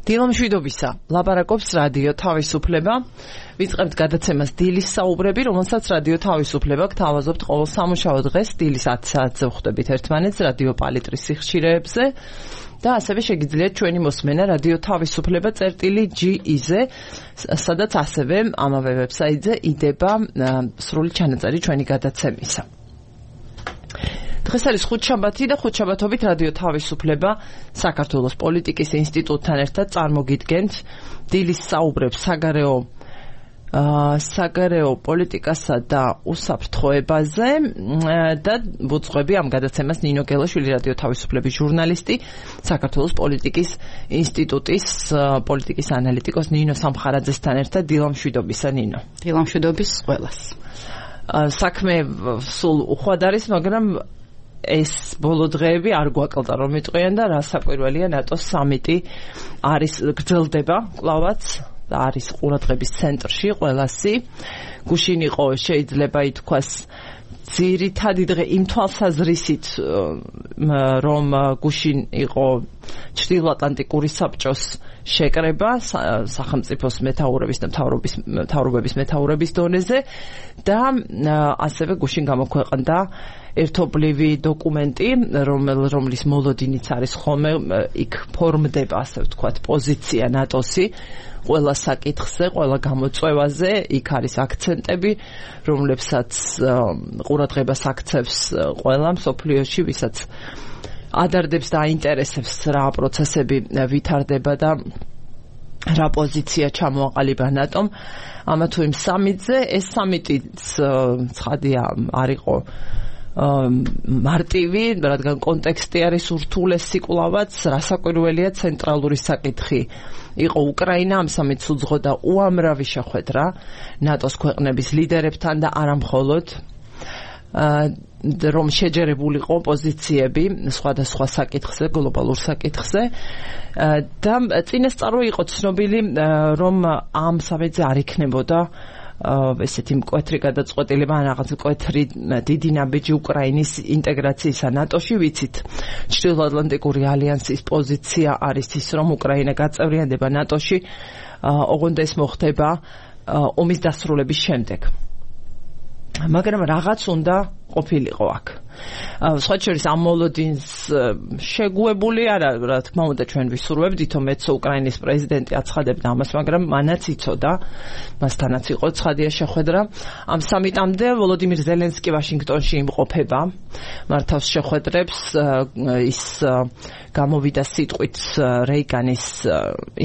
დილამშვიდობისა, ლაპარაკობს რადიო თავისუფლება. ვიწყებთ გადაცემას დილის საუბრები, რომელსაც რადიო თავისუფლება გთავაზობთ ყოველ სამუშაო დღეს დილის 10 საათზე ვხვდებით ერთმანეთს რადიო პალიტრის სიხშირეებზე და ასევე შეგიძლიათ ჩვენი მოსმენა რადიო თავისუფლება .ge-ზე, სადაც ასევე ამავე ვებსაიტზე იდება სრული ჩანაწერი ჩვენი გადაცემისა. დღეს არის ხუთშაბათი და ხუთშაბათობით რადიო თავისუფლება საქართველოს პოლიტიკის ინსტიტუტთან ერთად წარმოგიდგენთ დილის საუბრებს საგარეო პოლიტიკასა და უსაფრთხოებაზე და ვუძღვები ამ გადაცემას ნინო გელაშვილი რადიო თავისუფლების ჟურნალისტი, საქართველოს პოლიტიკის ინსტიტუტის პოლიტიკის ანალიტიკოს ნინო სამხარაძესთან ერთად. დილამშვიდობისა ნინო. დილამშვიდობის ყველას. საქმე სულ უხვად არის, მაგრამ ეს ბოლო დღეები არ გვაკლდა რომ იტყვიან და რა საკვირველია ნატოს სამიტი არის გრძელდება კლავაც და არის ყურადღების ცენტრში ყველასი. გუშინ იყო შეიძლება ითქვას ძირითადი დღე იმ თვალსაზრისით რომ გუშინ იყო ჩრდილოატლანტიკური საბჭოს შეკრება სახელმწიფოს მეთაურების და მთავრობების მეთაურების დონეზე და ასევე გუშინ გამოქვეყნდა ერთობლივი დოკუმენტი, რომლის მოლოდინიც არის ხოლმე იქ ფორმდება, ასე ვთქვათ, პოზიცია ნატოსი ყველა საკითხზე, ყველა გამოწვევაზე, იქ არის აქცენტები, რომლებსაც ყურადღებას აქცევს ყველა მსოფლიოში, ვისაც ადარდებს და აინტერესებს რა პროცესები ვითარდება და რა პოზიცია ჩამოაყალიბა ნატომ ამა თუ იმ სამიტზე. ეს სამიტიც ცხადია არ იყო მარტივი, რადგან კონტექსტი არის ურთულესი კლავაც, რასაკვირველია ცენტრალური საკითხი იყო უკრაინა, ამ სამიტს უძღოდა უამრავი შეხვედრა ნატოს ქვეყნების ლიდერებთან და არა მხოლოდ რომ შეჯერებულიყო პოზიციები სხვადასხვა საკითხზე, გლობალურ საკითხზე და წინასწარ იყო ცნობილი, რომ ამ სამიტზე არ იქნებოდა ესეთი მკვეთრი გადაწყვეტილება ან რაღაც მკვეთრი დიდი ნაბიჯი უკრაინის ინტეგრაციისა ნატოში. ვიცით, ჩრდილოატლანტიკური ალიანსის პოზიცია არის ის, რომ უკრაინა გაწევრიანდება ნატოში, ოღონდ ეს მოხდება ომის დასრულების შემდეგ. მაგრამ რაღაც უნდა ყოფილიყო აქ. სხვა შორის ამ მოლოდინს შეგუებული არა, რა თქმა უნდა ჩვენ ვისურვებდით, რომ მეცო უკრაინის პრეზიდენტი აცხადებდა ამას, მაგრამ მანაც იცოდა, მასთანაც იყო ცხადია შეხვედრა. ამ სამიტამდე ვოლოდიმირ ზელენსკი ვაშინგტონში იმყოფება, მართავს შეხვედრებს, ის გამოვიდა სიტყვით რეიგანის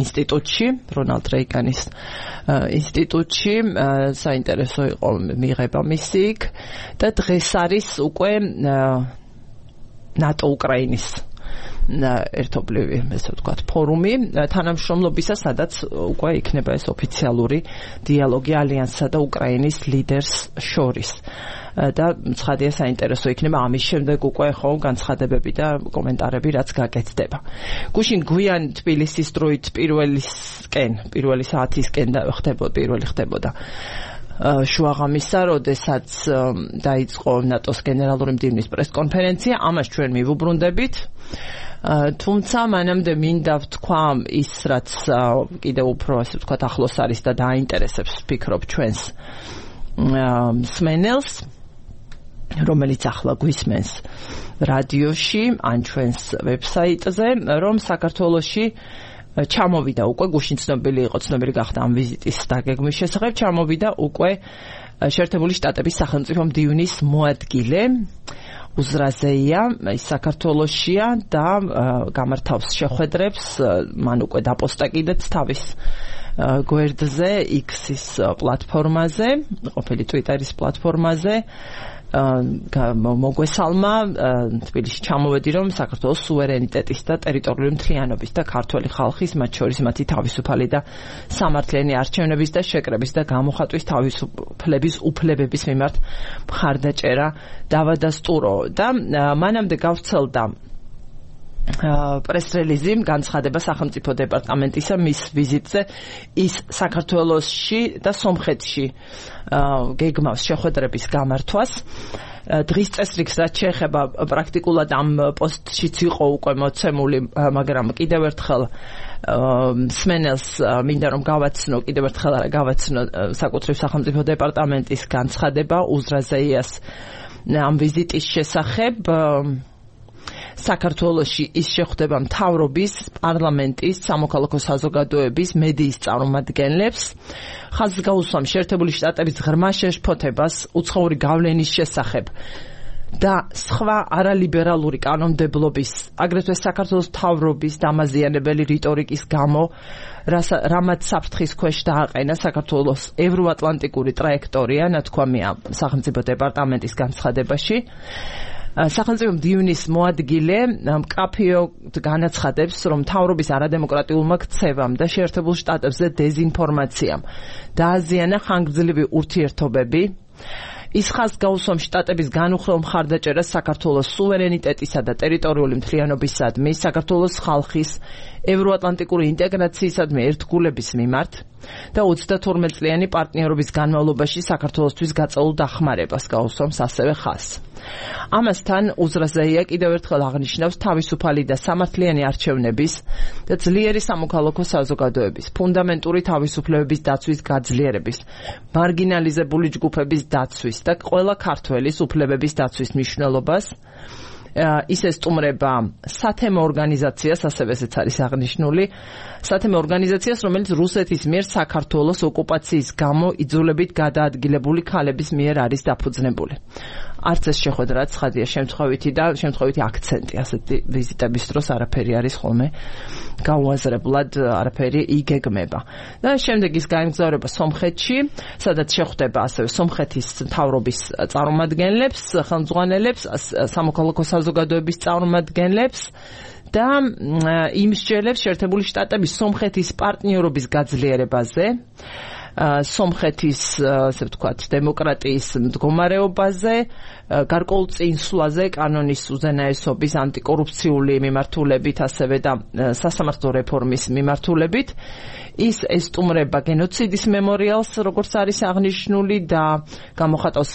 ინსტიტუტში, რონალდ რეიგანის ინსტიტუტში, საინტერესო იყო მიღება მისი იქ და დღეს არის უკვე ნატო უკრაინის ერთობლივი, ესე ვთქვათ, ფორუმი თანამშრომლობისა, სადაც უკვე იქნება ეს ოფიციალური დიალოგი ალიანსსა და უკრაინის ლიდერს შორის. და ცხადია საინტერესო იქნება ამის შემდეგ უკვე ხო განცხადებები და კომენტარები რაც გაკეთდება. გუშინ გვიან თბილისის დროით პირველი საათისკენ ხდებოდა შუაღამისა, როდესაც დაიწყო ნატოს გენერალური მდივნის პრესკონფერენცია, ამას ჩვენ მივუბრუნდებით. თუმცა მანამდე მინდა ვთქვა ის, რაც კიდევ უფრო ასე ვთქვათ ახლოს არის და დააინტერესებს ვფიქრობ ჩვენს მსმენელს, რომელიც ახლა გვისმენს რადიოში ან ჩვენს ვებსაიტზე, რომ საქართველოში ჩამოვიდა უკვე, გუშინ ცნობილი გახდა ამ ვიზიტის დაგეგმვის შესახებ, ჩამოვიდა უკვე შეერთებული შტატების სახელმწიფო მდივნის მოადგილე უზრაზეია, ის საქართველოშია და გამართავს შეხვედრებს, მან უკვე დაპოსტა კიდეც თავის გვერდზე, X-ის პლატფორმაზე, ყოფილი Twitter-ის პლატფორმაზე. მოგვესალმა თბილისში ჩამოვედი, რომ საქართველოს სუვერენიტეტის და ტერიტორიული მთლიანობის და ქართველი ხალხის, მათ შორის მათი თავისუფალი და სამართლიანი არჩევნების და შეკრების და გამოხატვის თავისუფლების უფლებების მიმართ მხარდაჭერა დავადასტურო და მანამდე გავრცელდა პრეს-რელიზი განცხადება სახელმწიფო დეპარტამენტისა მის ვიზიტზე ის საქართველოსში და სომხეთში გეგმავს შეხვედრების გამართვას დღის წესრიგს რაც შეეხება პრაქტიკულად ამ პოსტშიც იყო უკვე მოცემული, მაგრამ კიდევ ერთხელ სმენელს მინდა რომ გავაცნო, კიდევ ერთხელ არა გავაცნო საკუთრივ სახელმწიფო დეპარტამენტის განცხადება უზრაზეიას ამ ვიზიტის შესახებ. საქართველოში ის შეხვდება მთავრობის, პარლამენტის, სამოქალაქო საზოგადოების, მედიის წარმომადგენლებს, ხაზს გაუსვამ შეერთებული შტატების ღრმა შეშფოთებას უცხოური გავლენის შესახებ და სხვა არალიბერალური კანონმდებლობის, აგრეთვე საქართველოს მთავრობის დამაზიანებელი რიტორიკის გამო, რამაც საფრთხის ქვეშ დააყენა საქართველოს ევროატლანტიკური ტრაექტორია, ნათქვამია სახელმწიფო დეპარტამენტის განცხადებაში. სახელმწიფო მდივნის მოადგილე მკაფიოდ განაცხადებს, რომ მთავრობის არადემოკრატიულმა ქცევამ და შეერთებულ შტატებზე დეზინფორმაციამ დააზიანა ხანგრძლივი ურთიერთობები. ის ხაზს გაუსვამ შტატების განუხრელ მხარდაჭერას საქართველოს სუვერენიტეტისა და ტერიტორიული მთლიანობისადმი, საქართველოს ხალხის ევროატლანტიკური ინტეგრაციისადმი ერთგულების მიმართ და 32 წლიანი პარტნიორობის განმავლობაში საქართველოსთვის გაწეულ დახმარებას გაუსვამს ასევე ხაზს. ამასთან უზრაზეია კიდევ ერთხელ აღნიშნავს თავისუფალი და სამართლიანი არჩევნების და ძლიერი სამოქალაქო საზოგადოების, ფუნდამენტური თავისუფლებების დაცვის გაძლიერების, მარგინალიზებული ჯგუფების დაცვის და ყველა ქართველის უფლებების დაცვის მნიშვნელობას. ის ესტუმრება სათემო ორგანიზაციას, ასევე ესეც არის აღნიშნული, სათემო ორგანიზაციას, რომელიც რუსეთის მიერ საქართველოს ოკუპაციის გამო იძულებით გადაადგილებული ქალების მიერ არის დაფუძნებული. არც ეს შეხვედრა ცხადია შემთხვევითი და შემთხვევითი აქცენტი ასეთი ვიზიტების დროს არაფერი არის ხოლმე გაუაზრებლად, არაფერი იგეგმება. და შემდეგ ის გაემგზავრება სომხეთში, სადაც შეხვდება ასევე სომხეთის მთავრობის წარმომადგენლებს, ხელმძღვანელებს, სამოქალაქო საზოგადოების წარმომადგენლებს და იმსჯელებს შეერთებული შტატების სომხეთის პარტნიორობის გაძლიერებაზე, სომხეთის, ასე ვთქვათ, დემოკრატიის მდგომარეობაზე, გარკვეულ წინსვლაზე, კანონის უზენაესობის, ანტიკორუფციული მიმართულებით, ასევე და სასამართლო რეფორმის მიმართულებით. ის ესტუმრება გენოციდის მემორიალს, როგორც არის აღნიშნული, და გამოხატავს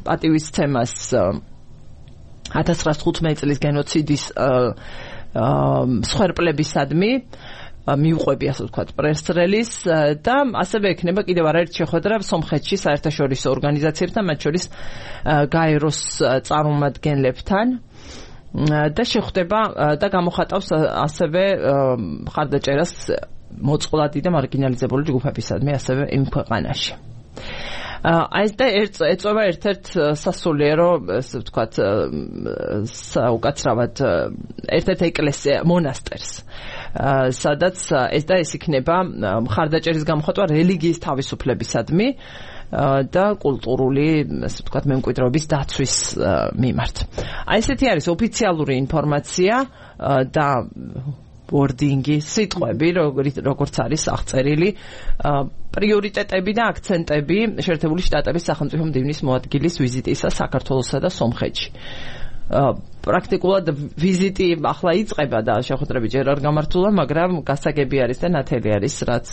პატივისცემას 1915 წლის გენოციდის მსხვერპლებისადმი, მიუყვები, ასე ვთქვათ, პრესრელის და ასევე ექნება კიდევ არაერთი შეხვედრა სომხეთში საერთაშორისო ორგანიზაციებთან, მათ შორის გაეროს წარმომადგენლებთან და შეხვდება და გამოხატავს ასევე მხარდაჭერას მოწყვლადი და მარგინალიზებული ჯგუფებისადმი ასევე იმ ქვეყანაში. ეს და ეწევა ერთ-ერთ სასულიერო, ასე ვთქვათ, უკაცრავად ერთ-ერთ ეკლესია, მონასტერს, სადაც ეს და ეს იქნება მხარდაჭერის გამოხატვა რელიგიის თავისუფლებისადმი და კულტურული, ასე ვთქვათ, მემკვიდრეობის დაცვის მიმართ. ესეთი არის ოფიციალური ინფორმაცია და ვორდინგი, სიტყვები, როგორც არის აღწერილი, პრიორიტეტები და აქცენტები შეერთებული შტატების სახელმწიფო მდივნის მოადგილის ვიზიტისა საქართველოსა და სომხეთში. პრაქტიკულად ვიზიტი ახლა იწყება და შეხვედრები ჯერ არ გამართულა, მაგრამ გასაგები არის და ნათელი არის, რაც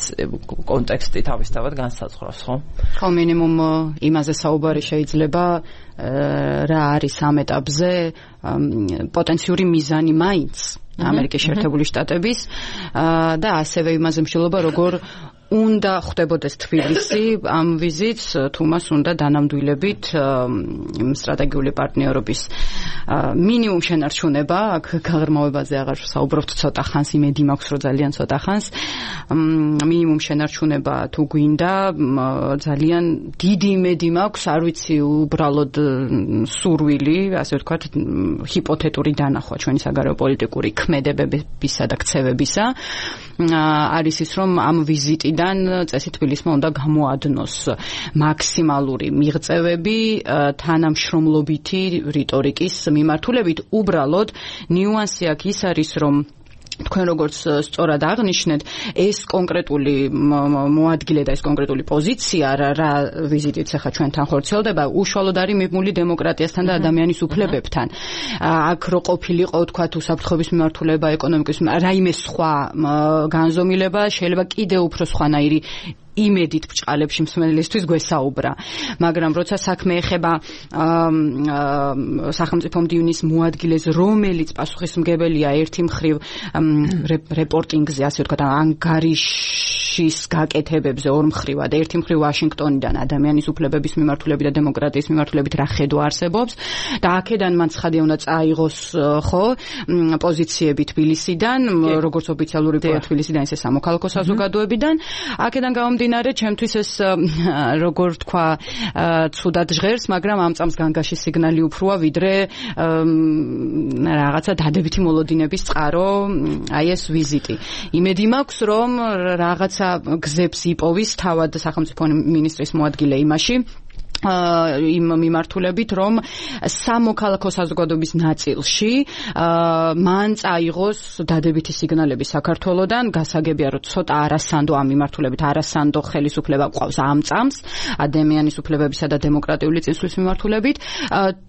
კონტექსტი თავისთავად განსაზღვრავს, ხო? ხო, მინიმუმ იმაზე საუბარი შეიძლება, რა არის ამ ეტაპზე პოტენციური მიზანი მაინც ამერიკის შეერთებული შტატების და ასევე იმაზე მსჯელობა, როგორ უნდა ხდებოდეს თბილისი ამ ვიზიტს, თუ მას უნდა დანამდვილებით სტრატეგიული პარტნიორობის მინიმუმ შენარჩუნება, აქ გაღრმავებაზე აღარ საუბრობთ ცოტა ხანს, იმედი მაქვს, რომ ძალიან ცოტა ხანს, მინიმუმ შენარჩუნება თუ გვინდა, ძალიან დიდი იმედი მაქვს, არ ვიცი, უბრალოდ სურვილი, ასე ვთქვათ, ჰიპოთეტური დანახვა ჩვენი საგარეო პოლიტიკური ქმედებებისა და ქცევებისა, არის ის, რომ ამ ვიზიტიდან წესი თბილისმა უნდა გამოადნოს მაქსიმალური მიღწევები თანამშრომლობითი რიტორიკის მიმართულებით. უბრალოდ ნიუანსი აქ ის არის, რომ თქვენ როგორც სწორად აღნიშნეთ, ეს კონკრეტული მოადგილე და ეს კონკრეტული პოზიცია, რა ვიზიტიც ახლა ჩვენთან ხორციელდება, უშუალოდ არის მიღმული დემოკრატიასთან და ადამიანის უფლებებთან. აქ რო ყოფილიყო, თქვათ, უსაფრთხოების მიმართულება, ეკონომიკის, რაიმე სხვა განზომილება შეიძლება კიდევ უფრო სხვანაირი იმედით ბჭყალებში მსმენელისთვის გვესაუბრა. მაგრამ როცა საქმე ეხება სახელმწიფო მდივნის მოადგილეს, რომელიც პასუხისმგებელია ერთი მხრივ რეპორტინგზე, ასე ვთქვათ, ანგარიშის გაკეთებებზე ორ მხრივად, ერთი მხრივ ვაშინგტონიდან ადამიანის უფლებების მიმართულებით და დემოკრატიის მიმართულებით რა ხედვა არსებობს და აქედან მან ცხადია უნდა წაიღოს ხო პოზიციები თბილისიდან, როგორც ოფიციალური თბილისიდან, ისე სამოქალაქო საზოგადოებიდან. აქედან გამომდინარე, ჩემთვის ეს როგორ თქვა, ცუდად ჟღერს, მაგრამ ამ წამს განგაში სიგნალი უფროა, ვიდრე რაღაცა დადებითი მოლოდინების წყარო, აი ეს ვიზიტი. იმედი მაქვს, რომ რაღაცა გზებს იპოვის თავად სახელმწიფო მინისტრის მოადგილე იმაში იმ მიმართულებით, რომ სამოქალაქო საზოგადოების ნაწილში მან წაიღოს დადებითი სიგნალები საქართველოდან, გასაგებია, რომ ცოტა არასანდო ამ მიმართულებით, არასანდო ხელისუფლება ყავს ამ წამს ადამიანის უფლებებისა და დემოკრატიული წინსვლის მიმართულებით,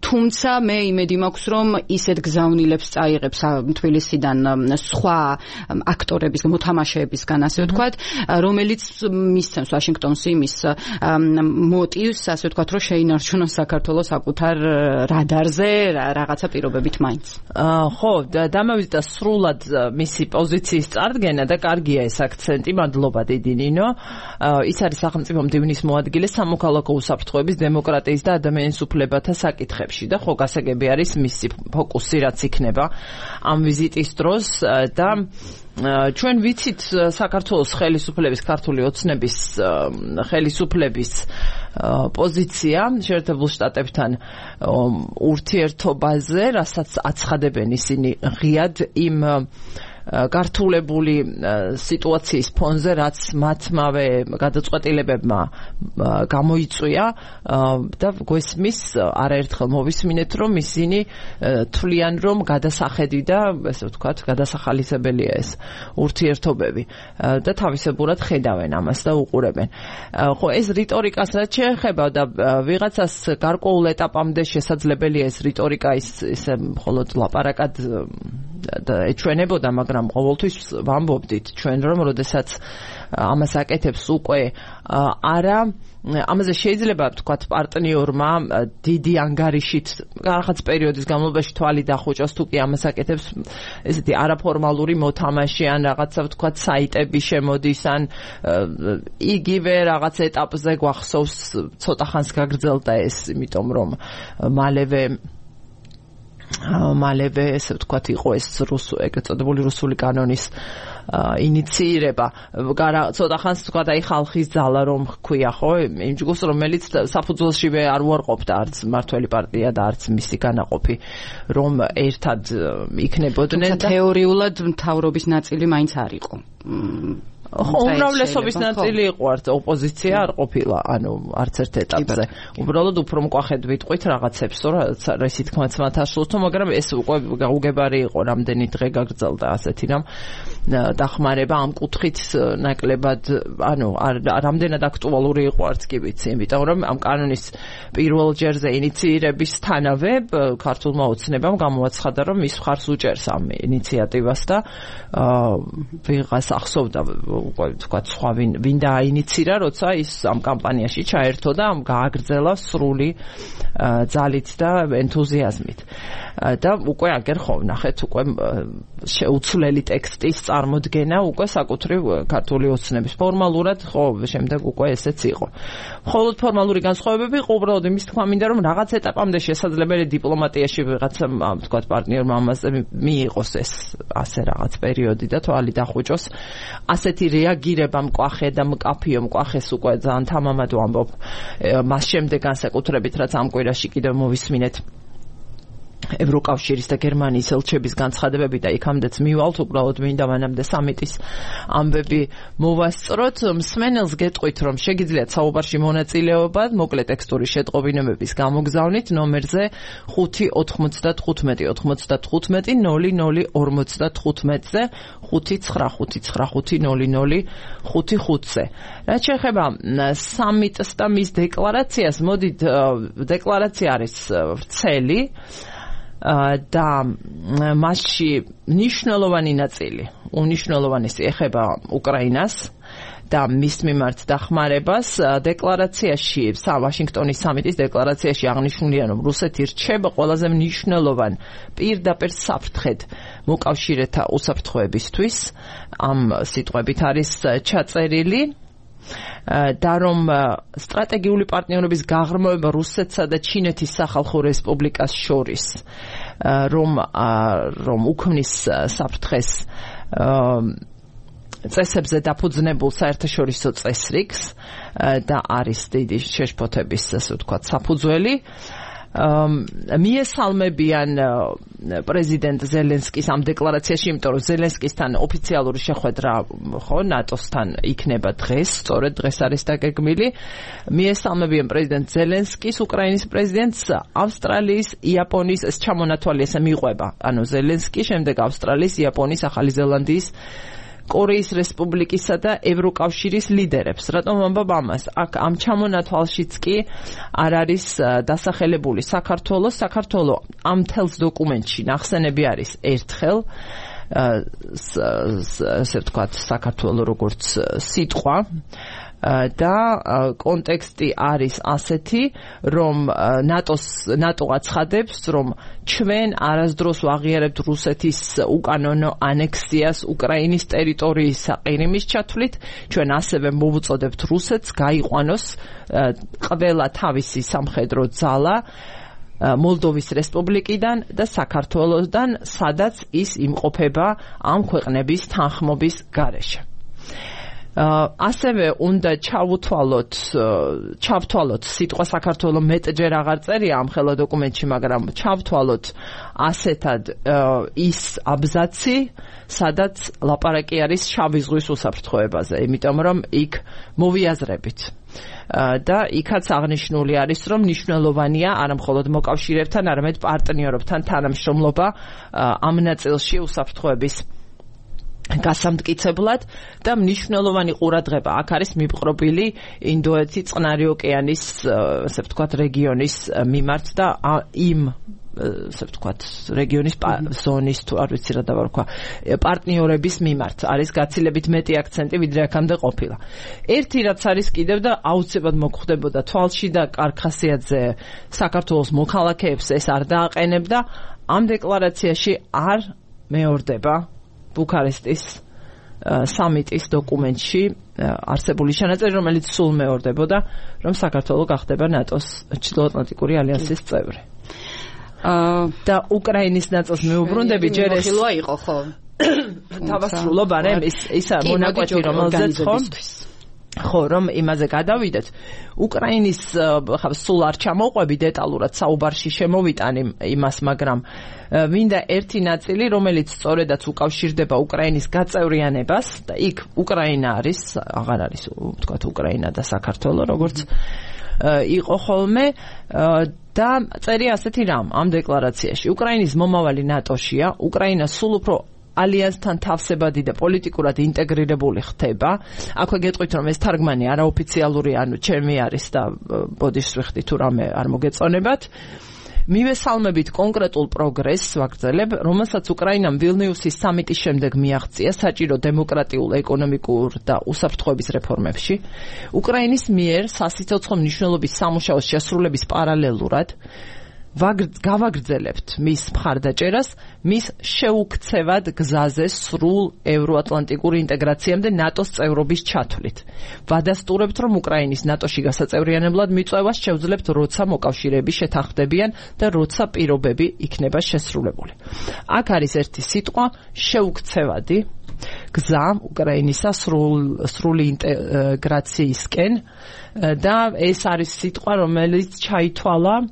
თუმცა მე იმედი მაქვს, რომ ისეთ გზავნილებს წაიღებს თბილისიდან სხვა აქტორების, მოთამაშეებისგან, ასე ვთქვათ, რომელიც მისცემს ვაშინგტონს იმის მოტივს, ასე ვთქვათ, რომ შეინარჩუნოს საქართველოს საკუთარ რადარზე რაღაცა პირობებით მაინც. ხო, დამავიწყდა სრულად მისი პოზიციის წარდგენა და კარგია ეს აქცენტი, მადლობა დიდი ნინო. ის არის სახელმწიფო მდივნის მოადგილე სამოქალაქო უსაფრთხოების, დემოკრატიის და ადამიანის უფლებათა საკითხებში და ხო გასაგები არის მისი ფოკუსი, რაც იქნება ამ ვიზიტის დროს და ჩვენ ვიცით საქართველოს ხელისუფლების, ქართული ოცნების ხელისუფლების პოზიცია შეერთებულ შტატებთან ურთიერთობაზე, რასაც აცხადებენ ისინი ღიად იმ გართულებული სიტუაციის ფონზე, რაც მათმავე გადაწყვეტილებებმა გამოიწვია და გვესმის არაერთხელ მოვისმინეთ, რომ ისინი თვლიან, რომ გადასახედი და ესე ვთქვათ, გადასახალისებელია ეს ურთიერთობები და თავისებურად ხედავენ ამას და უყურებენ. ხო, ეს რიტორიკას რაც შეეხება და ვიღაცას გარკვეულ ეტაპამდე შესაძლებელია ეს რიტორიკა ისე მხოლოდ ლაპარაკად ეჩვენებოდა, მაგრამ ყოველთვის ვამბობდით ჩვენ, რომ როდესაც ამას აკეთებს უკვე არა, ამაზე შეიძლება ვთქვათ პარტნიორმა დიდი ანგარიშით რაღაც პერიოდის განმავლობაში თვალი დახუჭოს, თუ კი ამას აკეთებს ესეთი არაფორმალური მოთამაშე ან რაღაცა ვთქვათ საიტები შემოდის ან იგივე რაღაც ეტაპზე გვახსოვს ცოტა ხანს გაგრძელდა ეს, იმიტომ რომ მალევე ესე ვთქვათ იყო ეს ეგრეთ წოდებული რუსული კანონის ინიციირება. ცოტა ხანს თქვა და ხალხის ძალა რომ ჰქვია, ხო, იმ ჯგუფს, რომელიც საფუძველშივე არ უარყოფდა არც მართველი პარტია და არც მისი განაყოფი, რომ ერთად იქნებოდნენ და თეორიულად მთავრობის ნაწილი მაინც არ იყო. ხო, უმრავლესობის ნაწილი იყო, არც ოპოზიცია არ ყოფილა, ანუ არც ერთ ეტაპზე. უბრალოდ უფრო მკვახედ ვიტყვით რაღაცებს, რომ ისიც თქმაც მათ ასულთო, მაგრამ ეს უკვე გაუგებარი იყო, რამდენი დღე გაგრძელდა ასეთი რამ დახმარება ამ კუთხით ნაკლებად, ანუ რამდენად აქტუალური იყო არც კი ვიცი, იმიტომ რომ ამ კანონის პირველ ჯერზე ინიციირებისთანავე ქართულმა ოცნებამ გამოაცხადა, რომ ის მხარს უჭერს ამ ინიციატივას და ვიღას ახსოვდა ვთქვათ, სხვა ვინ დააინიცირა, როცა ის ამ კამპანიაში ჩაერთო და გააგრძელა სრული ძალით და ენთუზიაზმით. და უკვე აგერ ხო ვნახეთ, უკვე შეუცვლელი ტექსტის წარმოდგენა უკვე საკუთრივ ქართული ოცნების ფორმალურად, ხო, შემდეგ უკვე ესეც იყო. მხოლოდ ფორმალური განსხვავებები იყო, უბრალოდ იმის თქმა მინდა, რომ რაღაც ეტაპამდე შესაძლებელი დიპლომატიაში ვიღაცა, ვთქვათ, პარტნიორმა ამაზე მიიღოს ეს ასე რაღაც პერიოდი და თვალი დახუჭოს. ასეთი რეაგირება მკვახე და მკაფიო მკვახეს უკვე ძალიან თამამად ვამბობ მას შემდეგ განსაკუთრებით, რაც ამ კვირაში კიდევ მოვისმინეთ ევროკავშირის და გერმანიის ელჩების განცხადებები და იქამდეც მივალთ, უბრალოდ მინდა მანამდე სამიტის ამბები მოვასწროთ. მსმენელს გეტყვით, რომ შეგიძლიათ საუბარში მონაწილეობა მოკლე ტექსტური შეტყობინებების გამოგზავნით ნომერზე 595-95-00-55-ზე 595-99-55-ზე. რაც შეეხება სამიტს და მის დეკლარაციას, მოდით, დეკლარაცია არის ვრცელი და მასში მნიშვნელოვანი ნაწილი, უნიშნელოვანესი ეხება უკრაინას და მის მიმართ დახმარებას. დეკლარაციაში, ვაშინგტონის სამიტის დეკლარაციაში აღნიშნულია, რომ რუსეთი რჩება ყველაზე მნიშვნელოვან პირდაპირ საფრთხედ მოკავშირეთა უსაფრთხოებისთვის. ამ სიტყვებით არის ჩაწერილი და რომ სტრატეგიული პარტნიორობის გაღრმავება რუსეთსა და ჩინეთის სახალხო რესპუბლიკას შორის რომ უქმნის საფრთხეს წესებზე დაფუძნებულ საერთაშორისო წესრიგს და არის დიდი შეშფოთების, ასე ვთქვათ, საფუძველი. მიესალმებიან პრეზიდენტ ზელენსკის ამ დეკლარაციაში, იმიტომ რომ ზელენსკისთან ოფიციალური შეხვედრა ნატოსთან იქნება დღეს, სწორედ დღეს არის დაგეგმილი. მიესალმებიან პრეზიდენტ ზელენსკის, უკრაინის პრეზიდენტს, ავსტრალიის, იაპონიის ეს ჩამონათვალი ესე მიყვება. ანუ ზელენსკი, შემდეგ ავსტრალიის, იაპონიის, ახალი ზელანდიის, კორეის რესპუბლიკისა და ევროკავშირის ლიდერებს. რატომ ვამბობ ამას? აქ ამ ჩამონათვალშიც კი არ არის დასახელებული საქართველო. საქართველო ამ თელს დოკუმენტში ნახსენები არის ერთხელ, ასე ვთქვათ, საქართველო როგორც სიტყვა. და კონტექსტი არის ასეთი, რომ ნატო აცხადებს, რომ ჩვენ არასდროს ვაღიარებთ რუსეთის უკანონო ანექსიას უკრაინის ტერიტორიის საყირიმის ჩათვლით, ჩვენ ასევე მოვუწოდებთ რუსეთს გაიყვანოს ყველა თავისი სამხედრო ძალა მოლდოვის რესპუბლიკიდან და საქართველოსდან, სადაც ის იმყოფება ამ ქვეყნების თანხმობის გარეშე. ასევე უნდა ჩავთვალოთ სიტყვა საქართველო მეტჯერ აღარ წერია ამ ხელა დოკუმენტში, მაგრამ ჩავთვალოთ ასეთად ის აბზაცი, სადაც ლაპარაკი არის შავი ზღვის უსაფრთხოებაზე, იმიტომ რომ იქ მოვიაზრებით. და იქაც აღნიშნული არის, რომ მნიშვნელოვანია არა მხოლოდ მოკავშირეებთან, არამედ პარტნიორებთან თანამშრომლობა ამ ნაწილში უსაფრთხოების გასამტკიცებლად და მნიშვნელოვანი ყურადღება აქ არის მიპყრობილი ინდოეთის წყნარი ოკეანის, ასე ვთქვათ, რეგიონის მიმართ და იმ, ასე ვთქვათ, რეგიონის ზონის, თუ არ ვიცი რა დავარქვა, პარტნიორების მიმართ არის გაცილებით მეტი აქცენტი, ვიდრე აქამდე ყოფილა. ერთი რაც არის კიდევ და აუცილებლად მოხდებოდა თვალში და კარხასიათზე საქართველოს მოქალაქეებს ეს არ დააყენებდა, ამ დეკლარაციაში არ მეორდება ბუქარესტის სამიტის დოკუმენტში არსებული ჩანაწერი, რომელიც სულ მეორდებოდა, რომ საქართველო გახდება ნატოს ჩრდილოატლანტიკური ალიანსის წევრი. და უკრაინის ნაწილს მეუბრუნდები, ჯერ ეს ხილვა იყო, ხო? დავასრულო, მაგრამ ისა მონაკვეთი, რომელზეც ხო, რომ იმაზე გადავიდეთ. უკრაინის სულ არ ჩამოვყვები დეტალურად საუბარში შემოვიტანი იმას, მაგრამ მინდა ერთი ნაწილი, რომელიც სწორედაც უკავშირდება უკრაინის გაწევრიანებას და იქ უკრაინა არის, აღარ არის, ვთქვათ, უკრაინა და საქართველო, როგორც იყო ხოლმე და წერია ასეთი რამ ამ დეკლარაციაში. უკრაინის მომავალი ნატოშია, უკრაინა სულ უფრო ალიანსთან თავსებადი და პოლიტიკურად ინტეგრირებული ხდება. აქვე გეტყვით, რომ ეს თარგმანი არაოფიციალური, ანუ ჩემი არის და ბოდიშსვიხდი თუ რამე არ მოგეწონებათ. მივესალმებით კონკრეტულ პროგრესს ვაგრძელებ, რომელსაც უკრაინამ ვილნიუსის სამიტის შემდეგ მიაღწია საჭირო დემოკრატიულ, ეკონომიკურ და უსაფრთხოების რეფორმებში. უკრაინის მიერ სასიცოცხლო მნიშვნელობის სამუშაოს შესრულების პარალელურად გავაგრძელებთ მის მხარდაჭერას, მის შეუქცევად გზაზე სრულ ევროატლანტიკური ინტეგრაციამდე ნატოს წევრობის ჩათვლით. ვადასტურებთ, რომ უკრაინის ნატოში გასაწევრიანებლად მიწვევას შევძლებთ, როცა მოკავშირეები შეთანხმდებიან და როცა პირობები იქნება შესრულებული. აქ არის ერთი სიტყვა, შეუქცევადი გზა უკრაინისა სრული ინტეგრაციისკენ და ეს არის სიტყვა, რომელიც ჩაითვალა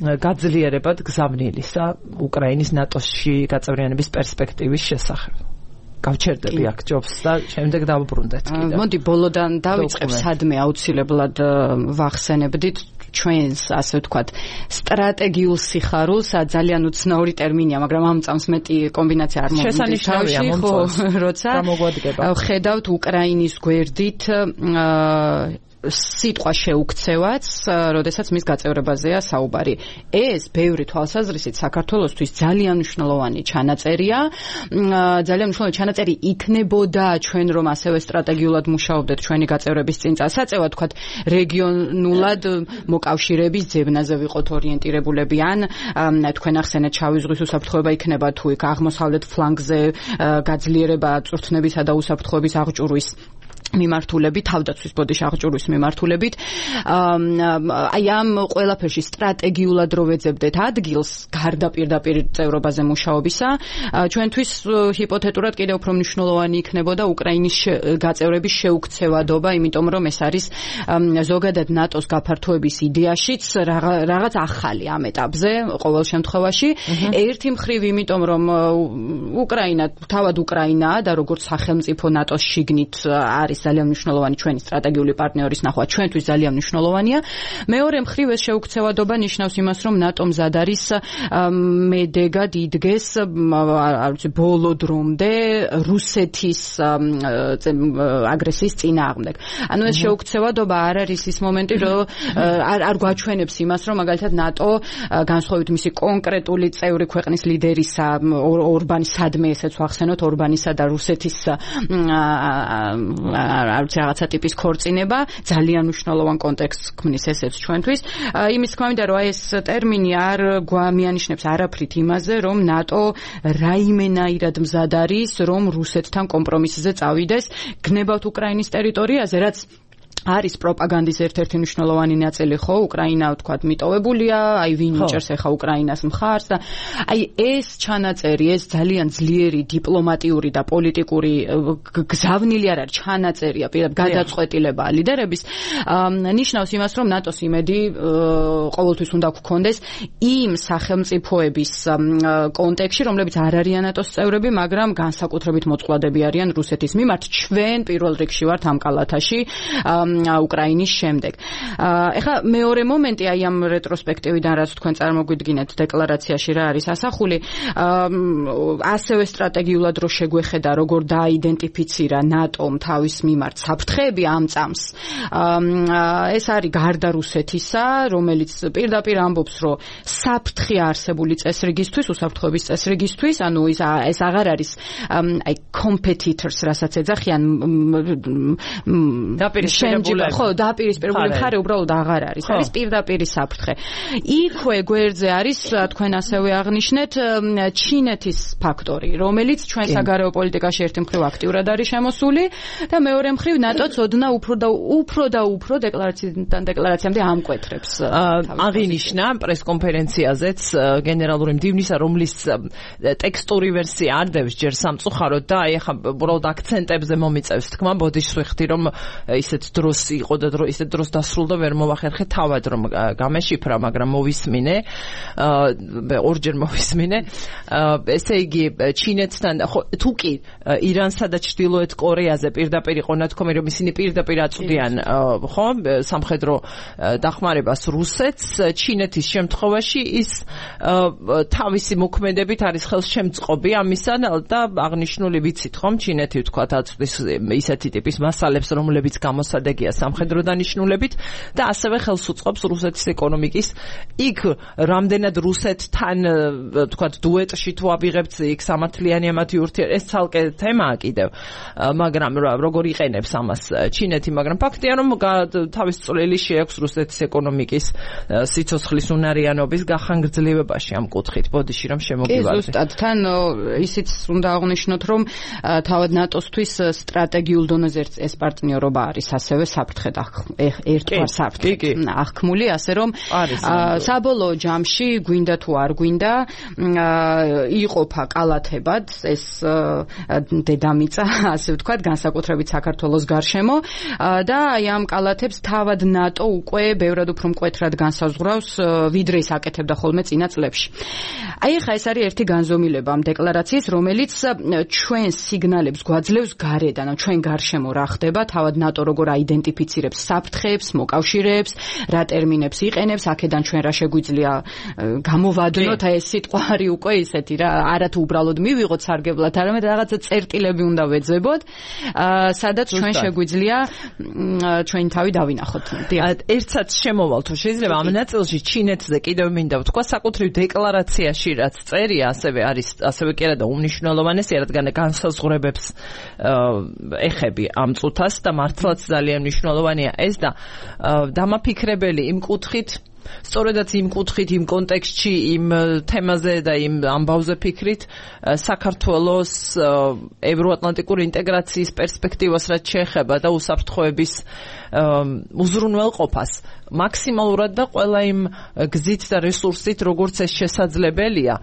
გაძლიერებად გზავნილისა უკრაინის ნატოში გაწევრიანების პერსპექტივის შესახებ. გავჩერდები აქ ჯობს და შემდეგ დავუბრუნდეთ კიდევ. მოდი ბოლოდან დავიწყებ, სადმე აუცილებლად ვახსენებდით ჩვენს, ასე ვთქვათ, სტრატეგიულ სიხარულს, ძალიან უცნაური ტერმინია, მაგრამ ამ წამს მეტი კომბინაცია არ მომდის თავში, ხო, როცა ხედავთ უკრაინის გვერდით სიტყვა შეუქცევაც, როდესაც მის გაწევრებაზეა საუბარი. ეს ბევრი თვალსაზრისით საქართველოსთვის ძალიან მნიშვნელოვანი ჩანაწერია. ძალიან მნიშვნელოვანი ჩანაწერი იქნებოდა ჩვენ რომ ასევე სტრატეგიულად მუშაობდეთ ჩვენი გაწევრების წინ წასაწევად, თქვათ რეგიონულად მოკავშირეების ძებნაზე ვიყოთ ორიენტირებულები, ან თქვენ ახსენეთ შავი ზღვის უსაფრთხოება იქნება თუ იქ აღმოსავლეთ ფლანგზე გაძლიერება წვრთნებისა და უსაფრთხოების აღჭურვის მიმართულებით, თავდაცვის ბოდიში აღჭურვის მიმართულებით. აი ამ ყველაფერში სტრატეგიულად რო ვეძებდეთ ადგილს გარდა პირდაპირ წევრობაზე მუშაობისა, ჩვენთვის ჰიპოთეტურად კიდევ უფრო მნიშვნელოვანი იქნებოდა უკრაინის გაწევრების შეუქცევადობა, იმიტომ რომ ეს არის ზოგადად ნატოს გაფართოების იდეაშიც რაღაც ახალი ამ ეტაპზე ყოველ შემთხვევაში. ერთი მხრივ იმიტომ რომ უკრაინა თავად უკრაინაა და როგორც სახელმწიფო ნატოს შიგნით არის ძალიან მნიშვნელოვანი ჩვენი სტრატეგიული პარტნიორის ნახვა, ჩვენთვის ძალიან მნიშვნელოვანია. მეორე მხრივ ეს შეუქცევადობა ნიშნავს იმას, რომ ნატო მზად არის მედეგად იდგეს ბოლო დრომდე რუსეთის აგრესიის წინააღმდეგ. ანუ ეს შეუქცევადობა არ არის ის მომენტი, რომ არ გვაჩვენებს იმას, რომ მაგალითად ნატო განსხვავებით მისი კონკრეტული წევრი ქვეყნის ლიდერისა ორბანის სადმე ესეც ვახსენოთ ორბანისა და რუსეთის რაღაცა ტიპის ქორწინება ძალიან მნიშვნელოვან კონტექსტს ქმნის ესეც ჩვენთვის. იმის თქმა მინდა, რომ ეს ტერმინი არ გვამიანიშნებს არაფრით იმაზე, რომ ნატო რაიმენაირად მზად არის, რომ რუსეთთან კომპრომისზე წავიდეს, გნებავთ უკრაინის ტერიტორიაზე, რაც არის პროპაგანდის ერთ-ერთი მნიშვნელოვანი ნაწილი, ხო, უკრაინა ვთქვათ მიტოვებულია, აი ვინ იჭერს ახლა უკრაინას მხარს და აი ეს ჩანაწერი, ეს ძალიან ძლიერი დიპლომატიური და პოლიტიკური გზავნილი არ არის ჩანაწერია, გადაწყვეტილება ლიდერების, ნიშნავს იმას, რომ ნატოს იმედი ყოველთვის უნდა გქონდეს იმ სახელმწიფოების კონტექსტში, რომლებიც არ არიან ნატოს წევრები, მაგრამ განსაკუთრებით მოწყვლადები არიან რუსეთის მიმართ. ჩვენ პირველ რიგში ვართ ამ კალათაში უკრაინის შემდეგ. ეხლა მეორე მომენტი აი ამ რეტროსპექტივიდან, რაც თქვენ წარმოგვიდგინეთ დეკლარაციაში რა არის ასახული, ასევე სტრატეგიულად რო შეგვეხედა, როგორ დააიდენტიფიცირა ნატომ თავის მიმართ საფრთხეები ამ წამს. ეს არის გარდა რუსეთისა, რომელიც პირდაპირ ამბობს, რომ საფრთხე არსებული წესრიგისთვის, უსაფრთხოების წესრიგისთვის, ანუ ეს აღარ არის აი competitors, რასაც ეძახიან დაპირისპირებული მხარე უბრალოდ აღარ არის. არის პირდაპირი საფრთხე. იქვე გვერდზე არის, თქვენ ასევე აღნიშნეთ, ჩინეთის ფაქტორი, რომელიც ჩვენ საგარეო პოლიტიკაში ერთი მხრივ აქტიურად არის შემოსული და მეორე მხრივ ნატოც ოდნა უფრო და უფრო დეკლარაციიდან დეკლარაციამდე ამკვეთრებს. აღინიშნა პრესკონფერენციაზეც გენერალური მდივნისა, რომლის ტექსტური ვერსია არ დევს ჯერ სამწუხაროდ და აი ახლა უბრალოდ აქცენტებზე მომიწევს თქმა, ბოდიში ვიხდი რომ ისეთ დროს იყო და ისეთ დროს დასრულდა, ვერ მოვახერხე თავად რომ გამეშიფრა, მაგრამ მოვისმინე, ორჯერ მოვისმინე. ესე იგი ჩინეთთან, ხო, თუ კი ირანსა და ჩრდილოეთ კორეაზე პირდაპირ იყო ნათქვამი, რომ ისინი პირდაპირ აწვდიან, ხო, სამხედრო დახმარებას რუსეთს, ჩინეთის შემთხვევაში ის თავისი მოქმედებით არის ხელშემწყობი ამისა და აღნიშნული ვიცით, ხომ, ჩინეთი ვთქვათ აწვდის ისეთი ტიპის მასალებს, რომლებიც გამოსადეგია სამხედრო დანიშნულებით და ასევე ხელს უწყობს რუსეთის ეკონომიკის. იქ რამდენად რუსეთთან თქვათ დუეტში თუ ავიღებთ იქ სამართლიანი ამათი ურთიერთობა, ეს ცალკე თემაა კიდევ, მაგრამ როგორ იყენებს ამას ჩინეთი, მაგრამ ფაქტია რომ თავის წვლილი შეაქვს რუსეთის ეკონომიკის სიცოცხლის უნარიანობის გახანგრძლივებაში ამ კუთხით. ბოდიში რომ შემოგივარდე. ზუსტად თან ისიც უნდა აღნიშნოთ, რომ თავად ნატოსთვის სტრატეგიულ დონეზე ეს პარტნიორობა არის ასევე საფრთხე და ერთგვარ საფრთხე აღქმული, ასე რომ საბოლოო ჯამში გვინდა თუ არ გვინდა იყოფა კალათებად ეს დედამიწა, ასე ვთქვათ, განსაკუთრებით საქართველოს გარშემო და აი ამ კალათებს თავად ნატო უკვე ბევრად უფრო მკვეთრად განსაზღვრავს, ვიდრე ის აკეთებდა ხოლმე წინა წლებში. აი ხა ეს არის ერთი განზომილება ამ დეკლარაციის, რომელიც ჩვენ სიგნალებს გვაძლევს გარედან, ჩვენ გარშემო რა ხდება, თავად ნატო როგორ აიდენტიფიცირებს საფრთხეებს, მოკავშირეებს, რა ტერმინებს იყენებს, აქედან ჩვენ რა შეგვიძლია გამოვადნოთ, აი ეს სიტყვა არის უკვე ისეთი რა, არა თუ უბრალოდ მივიღოთ სარგებლად, არამედ რაღაცა წერტილები უნდა ვეძებოთ, სადაც ჩვენ შეგვიძლია ჩვენი თავი დავინახოთ. ერთსაც შემოვალ თუ შეიძლება ამ ნაწილში ჩინეთზე კიდევ მინდა ვთქვა, საკუთრივ დეკლარაციაში რაც წერია, ასევე კი არა და უმნიშვნელოვანესია, რადგან განსაზღვრებებს ეხები ამ წუთას და მართლაც ძალიან მნიშვნელოვანია ეს და დამაფიქრებელი იმ კუთხით, სწორედაც იმ კუთხით, იმ კონტექსტში, იმ თემაზე და იმ ამბავზე ფიქრით, საქართველოს ევროატლანტიკური ინტეგრაციის პერსპექტივას რაც შეეხება და უსაფრთხოების უზრუნველყოფას მაქსიმალურად და ყველა იმ გზით და რესურსით, როგორც ეს შესაძლებელია,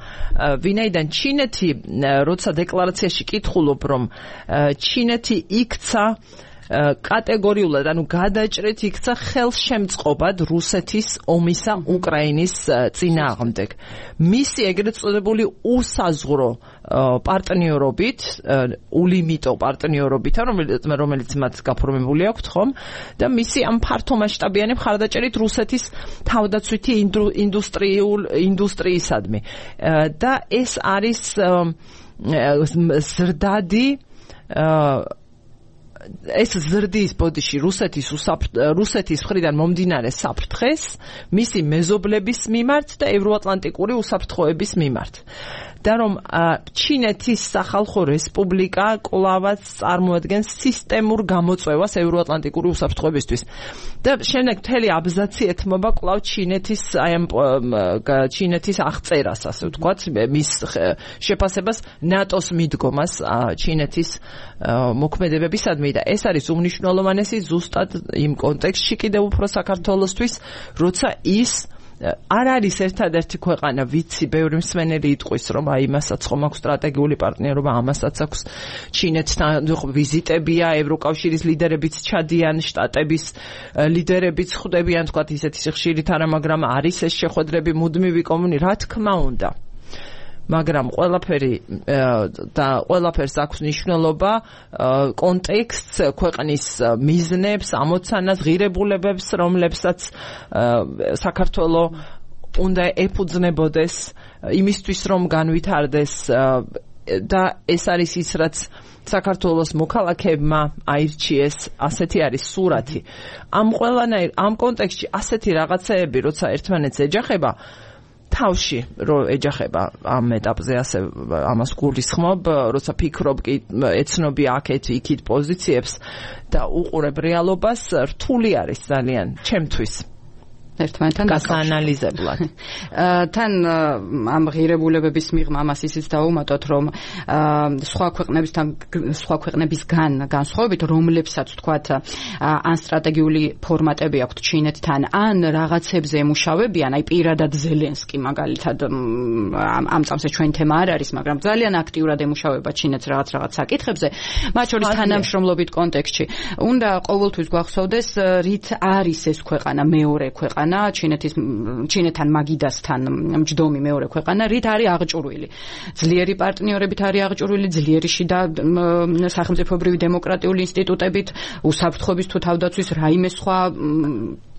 ვინაიდან ჩინეთი, როცა დეკლარაციაში კითხულობ, რომ ჩინეთი იქცა კატეგორიულად, ანუ გადაჭრით იქცა ხელშემწყობად რუსეთის ომისა უკრაინის წინააღმდეგ. მისი ეგრეთ წოდებული უსაზღვრო პარტნიორობით, ულიმიტო პარტნიორობით, რომელიც მათ გაფორმებული აქვთ, ხომ? და მისი ამ ფართომასშტაბიანი მხარდაჭერით რუსეთის თავდაცვითი ინდუსტრიისადმი. და ეს არის ზრდადი ეს ზრდის ბოდიში რუსეთის მხრიდან მომდინარე საფრთხეს მისი მეზობლების მიმართ და ევროატლანტიკური უსაფრთხოების მიმართ. და რომ ჩინეთის სახალხო რესპუბლიკა კვლავაც წარმოადგენს სისტემურ გამოწვევას ევროატლანტიკური უსაფრთხოებისთვის. და შემდეგ მთელი აბზაცი ეთმობა კვლავ ჩინეთის აღწერას, ასე ვთქვათ, მის შეფასებას ნატოს მიდგომას ჩინეთის მოქმედებებისადმი და ეს არის უმნიშვნელოვანესი ზუსტად იმ კონტექსტში კიდევ უფრო საქართველოსთვის, როცა ის არ არის ერთადერთი ქვეყანა, ვიცი, ბევრი მსმენელი იტყვის, რომ აი იმასაც ხომ აქვს სტრატეგიული პარტნიორობა, ამასაც აქვს ჩინეთთან ვიზიტებია, ევროკავშირის ლიდერებიც ჩადიან, შტატების ლიდერებიც ხვდებიან, თქვათ ისეთი ხშირით არა, მაგრამ არის ეს შეხვედრები მუდმივი რა თქმა უნდა. მაგრამ ყველაფერს აქვს მნიშვნელობა კონტექსტს, ქვეყნის მიზნებს, ამოცანას, ღირებულებებს, რომლებსაც საქართველო უნდა ეფუძნებოდეს იმისთვის, რომ განვითარდეს და ეს არის ის, რაც საქართველოს მოქალაქეებმა აირჩიეს, ასეთი არის სურათი. ამ კონტექსტში ასეთი რაღაცეები, როცა ერთმანეთს ეჯახება, თავში რო ეჯახება ამ ეტაპზე ასე ამას გულისხმობ, როცა ფიქრობ კი ეცნობი აქეთ იქით პოზიციებს და უყურებ რეალობას, რთული არის ძალიან ჩემთვის ერთმანეთთან გასაანალიზებლად. თან ამ ღირებულებების მიღმა ამას ისიც დავუმატოთ, რომ სხვა ქვეყნებისგან განსხვავებით, რომლებსაც თქვათ ან სტრატეგიული ფორმატები აქვთ ჩინეთთან, ან რაღაცებზე ემუშავებიან, აი პირადად ზელენსკი მაგალითად ამ წამსე ჩვენ თემა არ არის, მაგრამ ძალიან აქტიურად ემუშავება ჩინეთს რაღაც საკითხებზე, მათ შორის თანამშრომლობით კონტექსტში. უნდა ყოველთვის გვახსოვდეს, რით არის ეს ქვეყანა მეორე ქვეყანა ჩინეთთან მაგიდასთან მჯდომი მეორე ქვეყანა, რით არის აღჭურვილი. ძლიერი პარტნიორებით არის აღჭურვილი, ძლიერი შიდა სახელმწიფოებრივი დემოკრატიული ინსტიტუტებით, უსაფრთხოების თუ თავდაცვის რაიმე სხვა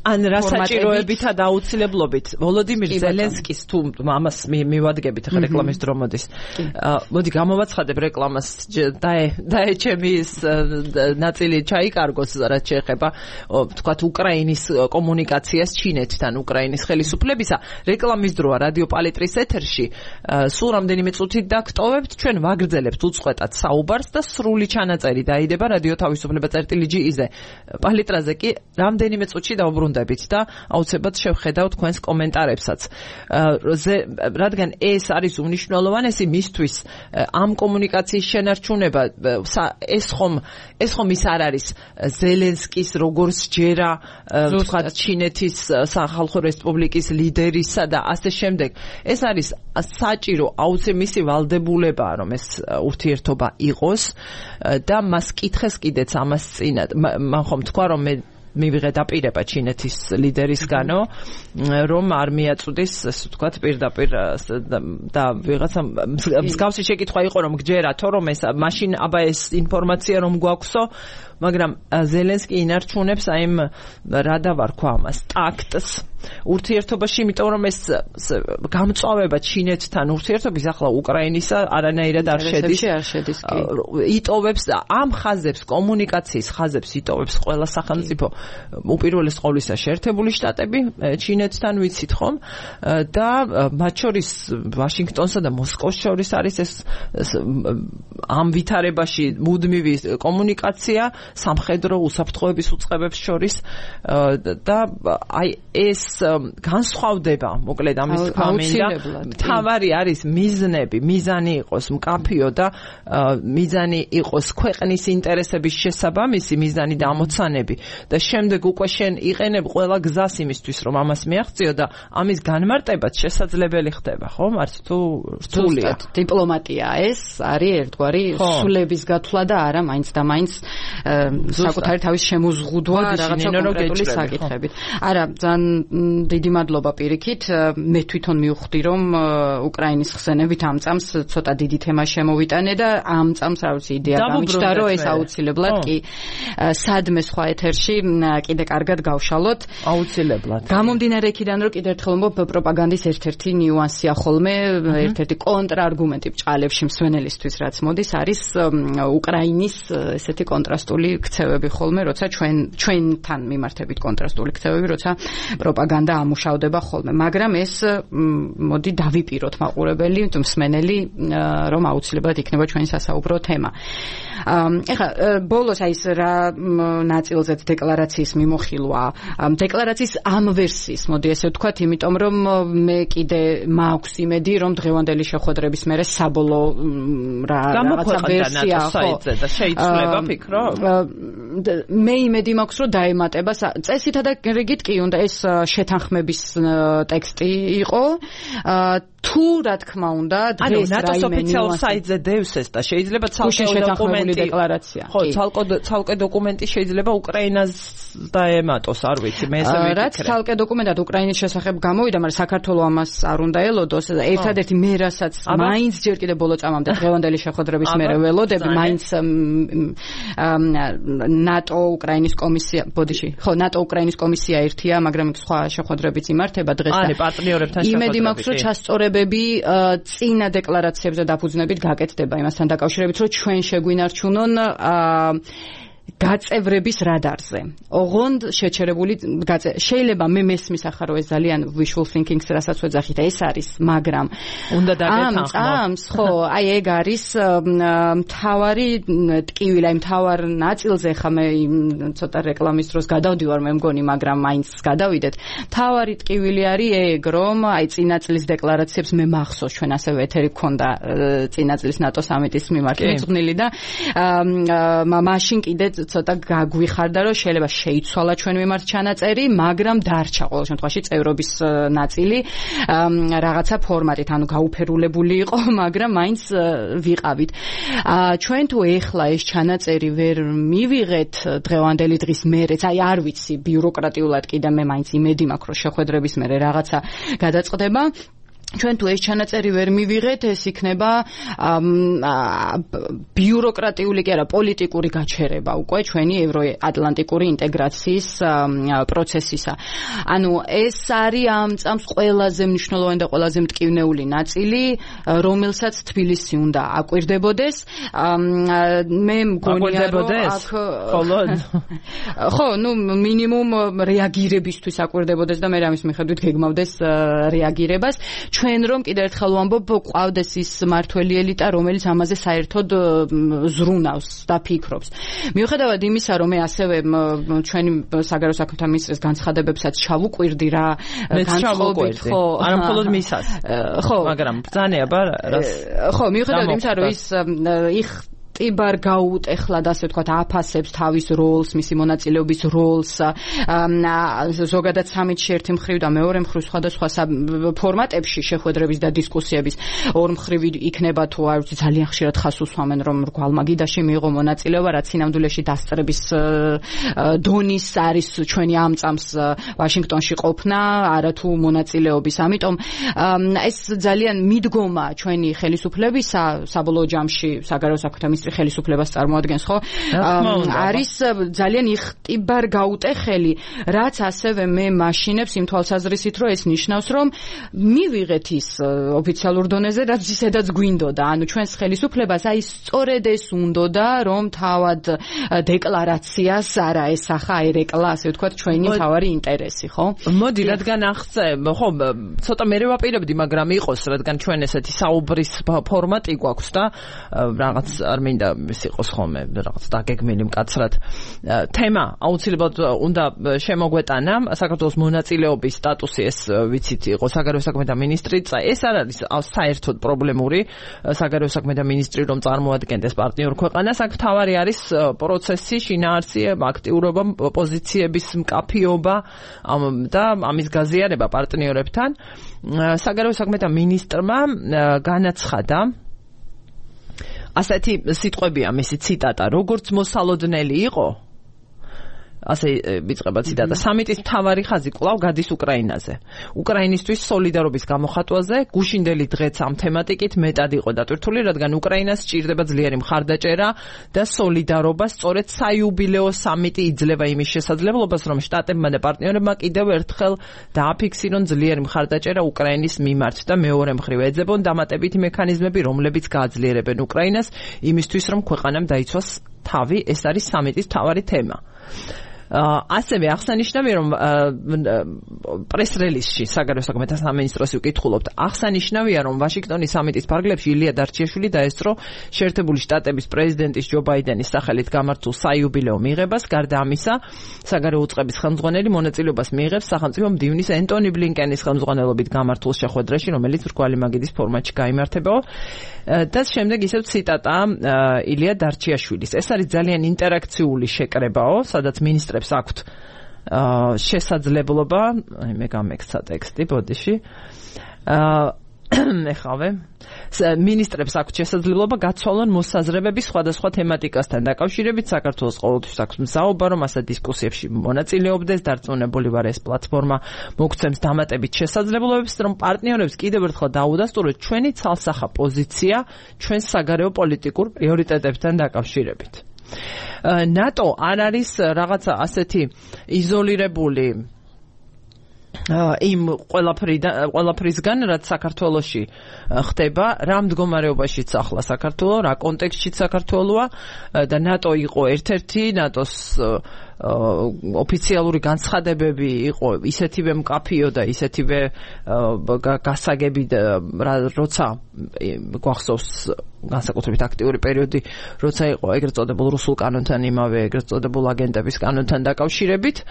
ან რა საჭიროებითა და აუცილებლობით. ვოლოდიმირ ზელენსკის თუ ამას მივადგებით ახლა რეკლამის დრო მოდის. მოდი გამოვაცხადებ რეკლამას დაეჩემი ის ნაწილი ჩაიკარგოს, რაც შეეხება თქვათ უკრაინის კომუნიკაციას ჩინეთთან, უკრაინის ხელისუფლებისა. რეკლამის დროა რადიო პალიტრის ეთერში. სულ რამდენიმე წუთით დაგტოვებთ, ჩვენ ვაგრძელებთ უწყვეტად საუბარს და სრული ჩანაწერი დაიდება რადიო თავისუფლება წერტილი.gz-ზე. პალიტრაზე კი რამდენიმე წუთში დავუბრუნდებით და აუცილებლად შევხედავთ თქვენს კომენტარებსაც. რადგან ეს არის უმნიშვნელოვანესი მისთვის ამ კომუნიკაციის შენარჩუნება, ეს ხომ ის არ არის ზელენსკის როგორც ჯერა თქვათ ჩინეთის სახალხო რესპუბლიკის ლიდერისა და ასე შემდეგ. ეს არის საჭირო მისი ვალდებულებაა, რომ ეს ურთიერთობა იყოს და მას კითხეს კიდეც ამას წინათ. მან ხომ თქვა, რომ მივიღე დაპირება ჩინეთის ლიდერისგანო, რომ არ მიაწვდის, ასე ვთქვათ, პირდაპირ და ვიღაცა მსგავსი შეკითხვა იყო, რომ გჯერათო, რომ ეს მაშინ აბა ეს ინფორმაცია რომ გვაქვსო, მაგრამ ზელენსკი ინარჩუნებს აი იმ რა დავარქვა ამას, ტაქტს ურთიერთობაში, იმიტომ რომ ეს გამწვავება ჩინეთთან ურთიერთობის ახლა უკრაინისა არანაირად არ შედის. იტოვებს ამ ხაზებს, კომუნიკაციის ხაზებს იტოვებს ყველა სახელმწიფო, უპირველეს ყოვლისა შეერთებული შტატები ჩინეთთან, ვიცით ხომ, და მათ შორის ვაშინგტონსა და მოსკოვს შორის არის ეს ამ ვითარებაში მუდმივი კომუნიკაცია სამხედრო უსაფრთხოების უწყებებს შორის და აი ეს განსხვავდება, მოკლედ ამის თქმა მინდა, მთავარი არის მიზანი იყოს მკაფიო და მიზანი იყოს ქვეყნის ინტერესების შესაბამისი მიზანი და ამოცანები და შემდეგ უკვე შენ იყენებ ყველა გზას იმისთვის, რომ ამას მიაღწიო და ამის განმარტებაც შესაძლებელი ხდება, ხო? არც თუ რთულია. დიპლომატია ეს არის ერთგვარი სულების გათვლა და არა მაინც და მაინც საკუთარი თავის შემოზღუდვა რაღაცა კონკრეტული საკითხებით. არა, ძალიან დიდი მადლობა პირიქით. მე თვითონ მივხვდი, რომ უკრაინის ხსენებით ამ წამს ცოტა დიდი თემა შემოვიტანე და ამ წამს რა ვიცი იდეა გამიჩნდა, რომ ეს აუცილებლად კი სადმე სხვა ეთერში კიდე კარგად გავშალოთ. აუცილებლად. გამომდინარე იქიდან, რომ კიდევ ერთხელ ვამბობ, პროპაგანდის ერთ-ერთი ნიუანსია ხოლმე, ერთ-ერთი კონტრარგუმენტი ბჭყალებში მსვენელისთვის, რაც მოდის, არის უკრაინის ესეთი კონტრასტული ქცევები ხოლმე, როცა ჩვენთან მიმართებით კონტრასტული ქცევები, როცა პროპაგანდა ამუშავდება ხოლმე. მაგრამ ეს მოდი დავიპიროთ მაყურებელი, მსმენელი, რომ აუცილებლად იქნება ჩვენი სასაუბრო თემა. ეხლა ბოლოს აი ეს რა ნაწილზეც დეკლარაციის მიმოხილვა, დეკლარაციის ამ ვერსიის, მოდი ესე ვთქვათ, იმიტომ რომ მე კიდე მაქვს იმედი, რომ დღევანდელი შეხვედრების მერე საბოლოო რაღაცა ვერსია და შეიძლება ფიქრობ? მე იმედი მაქვს, რომ დაემატება წესითა და რიგით კი უნდა ეს შეთანხმების ტექსტი იყო. თუ რა თქმა უნდა დღეს ნატოს ოფიციალურ საიტზე დევს ეს და შეიძლება ცალკე დოკუმენტი დეკლარაცია. ხო, ცალკე დოკუმენტი შეიძლება უკრაინას დაემატოს, არ ვიცი, მე ესე ვიტყვი. რაც ცალკე დოკუმენტად უკრაინის შესახებ გამოვიდა, მაგრამ საქართველოს ამას არ უნდა ელოდოს. ერთადერთი მე რასაც მაინც ჯერ კიდევ ბოლო წამამდე დღევანდელი შეხვედრების მერე ველოდები, მაინც ნატო უკრაინის კომისია, ბოდიში, ხო, ნატო უკრაინის კომისია ერთია, მაგრამ სხვა შეხვედრებიც იმართება დღეს და პარტნიორებთან შეხვედრები. იმედი მაქვს, რომ ჩასწორებები წინა დეკლარაციებზე დაფუძნებით გაკეთდება იმასთან დაკავშირებით, რომ ჩვენ შეგვინარჩუნონ გაწევრების რადარზე. ოღონდ შეჩერებული შეიძლება მე მესმის ახლა რომ ეს ძალიან wishful thinking-ს რასაც ვეძახით, ეს არის, მაგრამ უნდა დაგეთანხმო. ამს ხო, აი ეგ არის მთავარი ტკივილი, აი მთავარ ნაწილზე ხა მე ცოტა რეკლამის დროს გადავდივარ მე მგონი, მაგრამ მაინც გადავიდეთ. მთავარი ტკივილი არის ეგ, რომ აი წინა წლის დეკლარაციებს მე მახსოვს, ჩვენ ასევე ეთერი გქონდა წინა წლის ნატო სამიტის მიმართ მიძღვნილი და მაშინ კიდე ცოტა გაგვიხარდა, რომ შეიძლება შეიცვალა ჩვენ მიმართ ჩანაწერი, მაგრამ დარჩა ყოველ შემთხვევაში წევრობის ნაწილი რაღაცა ფორმატით, ანუ გაუფერულებული იყო, მაგრამ მაინც ვიყავით. ჩვენ თუ ეხლა ეს ჩანაწერი ვერ მივიღეთ დღევანდელი დღის მერეც, აი არ ვიცი, ბიუროკრატიულად კიდე მე მაინც იმედი მაქვს, რომ შეხვედრების მერე რაღაცა გადაწყდება. ჩვენ თუ ეს ჩანაწერი ვერ მივიღეთ, ეს იქნება ბიუროკრატიული კი არა, პოლიტიკური გაჩერება უკვე ჩვენი ევროატლანტიკური ინტეგრაციის პროცესისა. ანუ ეს არის ამ წამს ყველაზე მნიშვნელოვანი და ყველაზე მტკივნეული ნაწილი, რომელსაც თბილისი უნდა აკვირდებოდეს. მე მგონია, რომ აქ ხო, ნუ მინიმუმ რეაგირებისთვის აკვირდებოდეს და მე ამის მიხედვით გეგმავდეს რეაგირებას. ჩვენ რომ კიდევ ერთხელ ვამბობ, ყავდეს ის მართველი ელიტა, რომელიც ამაზე საერთოდ ზრუნავს და ფიქრობს. მიუხედავად იმისა, რომ მე ასევე ჩვენი საგარეო საქმეთა მინისტრის განცხადებებსაც ჩავუკვირდი რა, განწყობით, ხო, არა მხოლოდ მისას. ხო, მაგრამ ბრძანე აბა რას. ხო, მიუხედავად იმისა, რომ ის იხტიბარ გაუტეხლად ასე ვთქვათ აფასებს თავის როლს, მისი მონაწილეობის როლს ზოგადად სამიტში ერთი მხრივ და მეორე მხრივ სხვადასხვა ფორმატებში შეხვედრების და დისკუსიების ორ მხრივ იქნება თუ არ ვიცი ძალიან ხშირად ხას უსვამენ რომ გვალმაგიდაში მიიღო მონაწილეობა რაც სინამდვილეში დასწრების დონის არის ჩვენი ამ წამს ვაშინგტონში ყოფნა არათუ მონაწილეობის ამიტომ ეს ძალიან მიდგომა ჩვენი ხელისუფლებისა საბოლოო ჯამში საგარეო საქმეთა მინისტრი ხელისუფლებას წარმოადგენს ხო არის ძალიან იხტიბარ გაუტეხელი რაც ასევე მე მაშინებს იმ თვალსაზრისით რომ ეს ნიშნავს რომ მივიღეთ ის ოფიციალურ დონეზე რაც ისედაც გვინდოდა ანუ ჩვენს ხელისუფლებას აი სწორედ ეს უნდოდა რომ თავად დეკლარაციას არა ესახა აი რეკლა ასე ვთქვათ ჩვენი თავარი ინტერესი ხო მოდი რადგან აღწე ხო ცოტა მე ვაპირებდი მაგრამ იყოს რადგან ჩვენ ესეთი საუბრის ფორმატი გვაქვს და რაღაც არ მინდა ის იყოს ხოლმე რაღაც დაგეგმილი მკაცრად თემა აუცილებლად უნდა შემოგვეტანა საქართველოს მონაწილეობის სტატუსი ეს ვიცით იყო საგარეო საქმეთა მინისტრი ეს არ არის საერთოდ პრობლემური საგარეო საქმეთა მინისტრი რომ წარმოადგენდეს პარტნიორ ქვეყანას აქ თავარი არის პროცესი შინაარსი აქტიურობა პოზიციების მკაფიობა და ამის გაზიარება პარტნიორებთან საგარეო საქმეთა მინისტრმა განაცხადა ასეთი სიტყვებია მისი ციტატა როგორც მოსალოდნელი იყო ასე ვიწყება ციტატა სამიტის მთავარი ხაზი კვლავ გადის უკრაინაზე უკრაინისთვის სოლიდარობის გამოხატვაზე გუშინდელი დღეც ამ თემატიკით მეტად იყო დატვირთული რადგან უკრაინას სჭირდება ძლიერი მხარდაჭერა და სოლიდარობა სწორედ საიუბილეო სამიტი იძლევა იმის შესაძლებლობას რომ შტატებმა და პარტნიორებმა კიდევ ერთხელ დააფიქსირონ ძლიერი მხარდაჭერა უკრაინის მიმართ და მეორე მხრივ ეძებონ დამატებითი მექანიზმები რომლებიც გააძლიერებენ უკრაინას იმისთვის რომ ქვეყანამ დაიცვას თავი ეს არის სამიტის მთავარი თემა ასევე აღსანიშნავია რომ პრეს-რელიზში საგარეო საქმეთა სამინისტროს ვკითხულობთ აღსანიშნავია რომ ვაშინგტონის სამიტის ფარგლებში ილია დარჩიაშვილი დაესწრო შეერთებული შტატების პრეზიდენტის ჯო ბაიდენის სახელით გამართულ საიუბილეო მიღებას გარდა ამისა საგარეო უწყების ხელმძღვანელი მონაწილეობას მიიღებს სახელმწიფო მდივნის ენტონი ბლინკენის ხელმძღვანელობით გამართულ შეხვედრაში რომელიც რგვალი მაგიდის ფორმატში გაიმართება და შემდეგ ისევ ციტატა ილია დარჩიაშვილის ეს არის ძალიან ინტერაქციული შეკრებაო სადაც მინისტრებს აქვთ შესაძლებლობა აი მე გამექცა ტექსტი ბოდიში ეხავე მინისტრებს აქვთ შესაძლებლობა გაცვალონ მოსაზრებები სხვადასხვა თემატიკასთან დაკავშირებით საქართველოს ყოველთვის აქვს მზაობა რომ ასეთ დისკუსიებში მონაწილეობდეს დარწმუნებული ვარ ეს პლატფორმა მოგცემს დამატებით შესაძლებლობებს რომ პარტნიორებს კიდევ ერთხელ დაუდასტუროთ ჩვენი ცალსახა პოზიცია ჩვენ საგარეო პოლიტიკურ პრიორიტეტებთან დაკავშირებით ნატო არ არის რაღაცა ასეთი იზოლირებული იმ ყველაფრისგან რაც საქართველოში ხდება რა მდგომარეობაშიც ახლა საქართველო რა კონტექსტშიც საქართველოა და ნატო იყო ერთ-ერთი ნატოს ოფიციალური განცხადებები იყო ისეთივე მკაფიო და ისეთივე გასაგები როცა გვახსოვს განსაკუთრებით აქტიური პერიოდი როცა იყო ეგრეთ წოდებულ რუსულ კანონთან იმავე ეგრეთ წოდებულ აგენტების კანონთან დაკავშირებით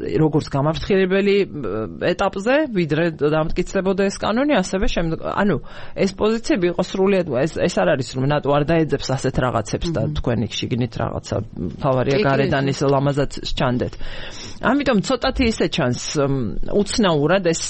როგორც გამაფრთხილებელი ეტაპზე ვიდრე დამტკიცდებოდა ეს კანონი ასევე ანუ ეს პოზიციები იყო სრულიად ეს არ არის რომ ნატო არ დაეძებს ასეთ რაღაცებს და თქვენი შიგნით რაღაცა თავარია გარედან ის ლამაზად სჩანდეთ ამიტომ ცოტათი ისე ჩანს უცნაურად ეს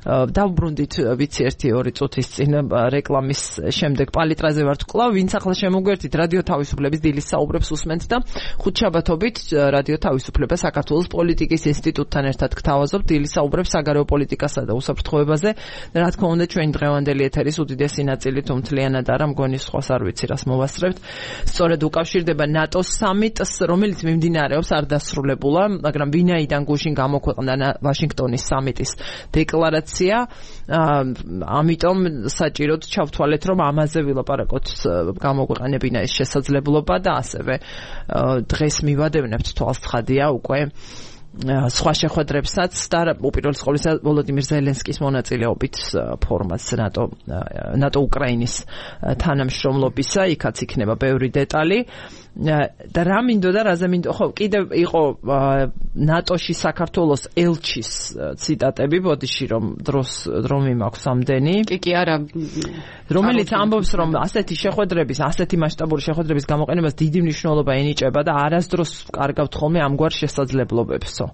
დავბრუნდით ვიცი 1-2 წუთის წინ რეკლამის შემდეგ პალიტრაზე ვართ კვლავ ვინც ახლა შემოგვერთით რადიო თავისუფლების დილის საუბრებს უსმენთ და ხუთშაბათობით რადიო თავისუფლება საქართველოს პოლიტიკის ინსტიტუტთან ერთად გთავაზობთ დილის საუბრებს საგარეო პოლიტიკასა და უსაფრთხოებაზე რა თქმა უნდა ჩვენი დღევანდელი ეთერის უდიდესი ნაწილი თუ მთლიანად არა მგონი სხვას არ ვიცი რას მოვასწრებთ სწორედ უკავშირდება ნატოს სამიტს რომელიც მიმდინარეობს არ დასრულებულა მაგრამ ვინაიდან გუშინ გამოქვეყნდა ვაშინგტონის სამიტის დეკლარაცია ამიტომ საჭიროდ ჩავთვალეთ რომ ამაზე ვილაპარაკოთ გამოგვეყენებინა ეს შესაძლებლობა და ასევე დღეს მივადევნებთ თვალს ცხადია უკვე სხვა შეხვედრებსაც და უპირველეს ყოვლისა ვოლოდიმირ ზელენსკის მონაწილეობით ფორმატს ნატო უკრაინის თანამშრომლობისა იქაც იქნება ბევრი დეტალი და რა მინდოდა რაზე მინდოდა ხო კიდევ იყო ნატოში საქართველოს ელჩის ციტატები ბოდიში რომ დრო მიმაქვს ამდენი კი არა რომელიც ამბობს რომ ასეთი შეხვედრების, ასეთი მასშტაბური შეხვედრების გამოყენებას დიდი მნიშვნელობა ენიჭება და არასდროს კარგავთ ხოლმე ამგვარ შესაძლებლობებსო.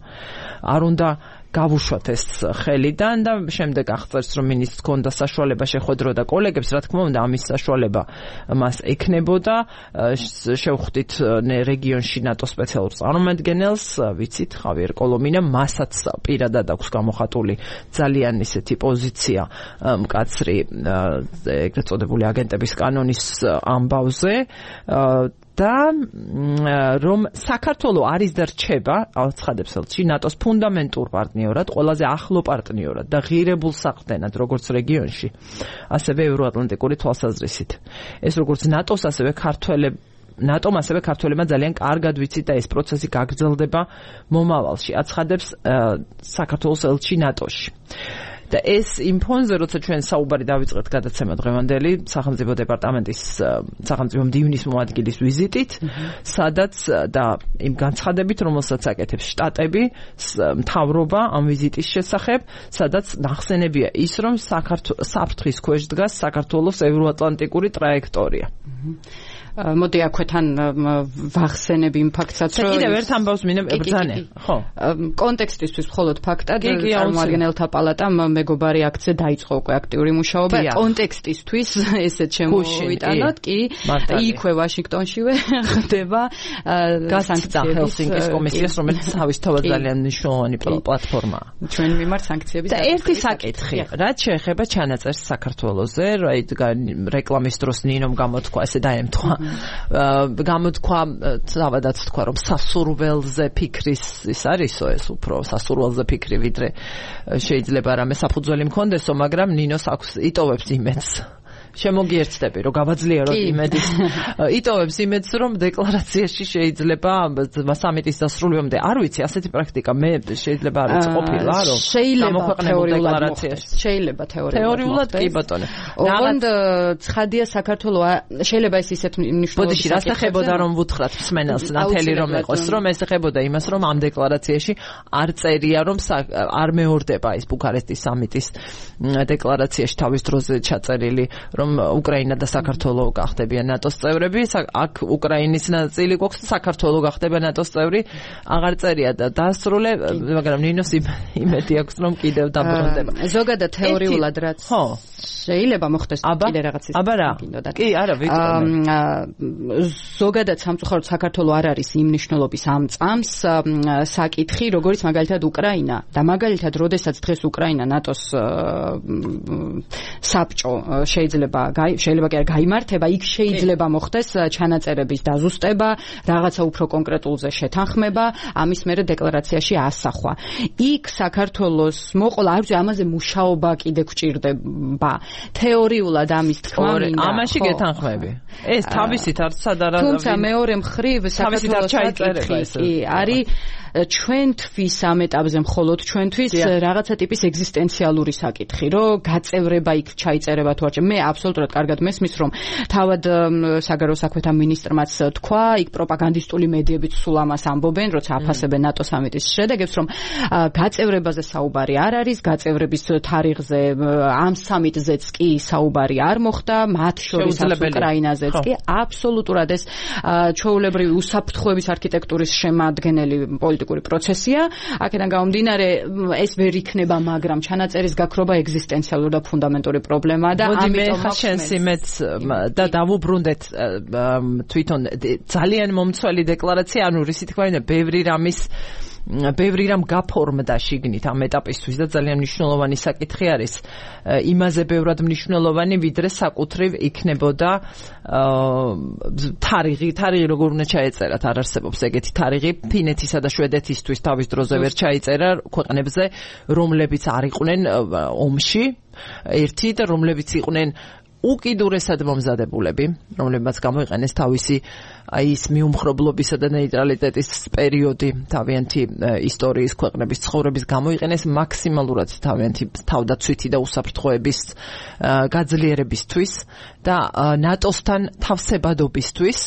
არ უნდა გავუშვათ ეს ხელიდან და შემდეგ აღწერს რომ მინისტრს ჰქონდა საშუალება შეხვედროდა კოლეგებს, რა თქმა უნდა ამის საშუალება მას ექნებოდა. შევხვდით რეგიონში ნატო სპეციალურ წარმომადგენელს, ვიცით, ხავიერ კოლომინა, მასაც პირადად აქვს გამოხატული ძალიან ისეთი პოზიცია მკაცრი ეგრეთ წოდებული აგენტების კანონის ამბავზე და რომ საქართველო არის და რჩება, აცხადებს ელჩი, ნატოს ფუნდამენტურ პარტნიორად, ყველაზე ახლო პარტნიორად და ღირებულ საყრდენად, როგორც რეგიონში, ასევე ევროატლანტიკური თვალსაზრისით. ეს როგორც ნატოს, ასევე ნატომ ასევე ქართველებმა ძალიან კარგად ვიცით და ეს პროცესი გაგრძელდება მომავალში, აცხადებს საქართველოს ელჩი ნატოში. და ეს იმ ფონზე, როცა ჩვენ საუბარი დავიწყეთ გადაცემა დღევანდელი სახელმწიფო დეპარტამენტის სახელმწიფო მდივნის მოადგილის ვიზიტით, სადაც და იმ განცხადებით, რომელსაც აკეთებს შტატები, მთავრობა ამ ვიზიტის შესახებ, სადაც ნახსენებია ის, რომ საფრთხის ქვეშ დგას საქართველოს ევროატლანტიკური ტრაექტორია. მოდი აქვეთან ვახსენებ იმ ფაქტსაც, რომ კიდევ ერთ ამბავს მინებრძანე, ხო? კონტექსტისთვის მხოლოდ ფაქტად წარმომადგენელთა პალატამ მეგობარი აქცია დაიწყო უკვე აქტიური მუშაობა. კონტექსტისთვის ესეც შემოვიტანოთ, კი, იქვე ვაშინგტონშივე ხდება გასანქციების ჰელსინკის კომისიას, რომელიც თავისთავად ძალიან მნიშვნელოვანი პლატფორმაა. ჩვენ მიმართ სანქციების და ერთი საკითხი, რაც შეეხება ჩანაწერს საქართველოზე, რეკლამის დროს ნინომ გამოთქვა, ესე დაემთხვა. გამოთქვა, თავადაც თქვა, რომ სასურველზე ფიქრის ის არისო, ეს უფრო სასურველზე ფიქრი, ვიდრე შეიძლება რამე საფუძველი მქონდესო, მაგრამ ნინოს აქვს იტოვებს იმედს. შემოგიერთდები, რომ გავაძლიეროთ იმედის. იტოვებს იმედს, რომ დეკლარაციაში შეიძლება სამიტის დასრულებამდე, არ ვიცი, ასეთი პრაქტიკა მე შეიძლება არ ვიცი ყოფილა, რომ გამოქვეყნებულ დეკლარაციაში. შეიძლება თეორიულად კი ბატონო. ოღონდ ცხადია საქართველოს შეიძლება ეს ისეთ მნიშვნელოვანი. ბოდიში, რას ეხებოდა რომ ვუთხრათ მსმენელს, ნათელი რომ ეყოს, რომ ეს ეხებოდა იმას, რომ ამ დეკლარაციაში არ წერია, რომ არ მეორდება ის ბუქარესტის სამიტის დეკლარაციაში თავის დროზე ჩაწერილი, რომ უკრაინა და საქართველო გახდებიან ნატოს წევრები, აქ უკრაინის ნაწილი გვაქვს, საქართველო გახდება ნატოს წევრი, აღარ წერია და დასრულე, მაგრამ ნინოს იმედი აქვს, რომ კიდევ დაბრუნდება. ზოგადად თეორიულად რაც შეიძლება მოხდეს კიდე რაღაც ის. აბა რა? კი, არა, ვიტყვი. ზოგადად სამწუხაროდ საქართველო არ არის იმ მნიშვნელობის ამ წამს საკითხი, როგორც მაგალითად უკრაინა და მაგალითად, როდესაც დღეს უკრაინა ნატოს საბჭო შეიძლება კი არ გაიმართება, იქ შეიძლება მოხდეს ჩანაწერების დაზუსტება, რაღაცა უფრო კონკრეტულზე შეთანხმება, ამის მერე დეკლარაციაში ასახვა. იქ საქართველოს მოყოლა, არ ვიცი, ამაზე მუშაობა კიდე გვჭირდება. თეორიულად ამის თქმა მინდა. ამაში გეთანხმები. ეს თავისით არ სადარა. თუმცა მეორე მხრივ საქართველოს საკითხი არის ჩვენთვის ამ ეტაპზე მხოლოდ ჩვენთვის რაღაცა ტიპის ეგზისტენციალური საკითხი, რომ გაწევრება იქ ჩაიწერება თუ არა. მე აბსოლუტურად კარგად მესმის, რომ თავად საგარეო საქმეთა მინისტრმაც თქვა, იქ პროპაგანდისტული მედიებიც სულ ამას ამბობენ, როცა აფასებენ ნატო სამიტის შედეგებს, რომ გაწევრებაზე საუბარი არ არის, გაწევრების თარიღზე ამ სამიტზეც კი საუბარი არ მოხდა, მათ შორის უკრაინაზეც კი აბსოლუტურად ეს ჩვეულებრივი უსაფრთხოების არქიტექტურის შემადგენელი პოლიტიკური პროცესია. აქედან გამომდინარე ეს ვერ იქნება, მაგრამ ჩანაწერის გაქრობა ეგზისტენციალური და ფუნდამენტური პრობლემაა და ამიტომ შენს იმედს და დავუბრუნდეთ თვითონ ძალიან მომცველი დეკლარაცია, ანუ რისი თქვა είναι ბევრი რამ გაფორმდა შიგნით ამ ეტაპისთვის და ძალიან მნიშვნელოვანი საკითხი არის. იმაზე ბევრად მნიშვნელოვანი, ვიდრე საკუთრივ იქნებოდა თარიღი როგორ უნდა ჩაეწერათ, არ არსებობს ეგეთი თარიღი. ფინეთისა და შვედეთისთვის თავის დროზე ვერ ჩაიწერა ქვეყნებზე, რომლებიც არ იყვნენ ომში ერთი და რომლებიც იყვნენ უკიდურესად მომზადებულები, რომლებმაც გამოიყენეს თავისი ის მიუმხრობლობისა და ნეიტრალიტეტის პერიოდი თავიანთი ისტორიის ქვეყნების ცხოვრების გამოიყენეს მაქსიმალურად თავიანთი თავდაცვითი და უსაფრთხოების გაძლიერებისთვის და ნატოსთან თავსებადობისთვის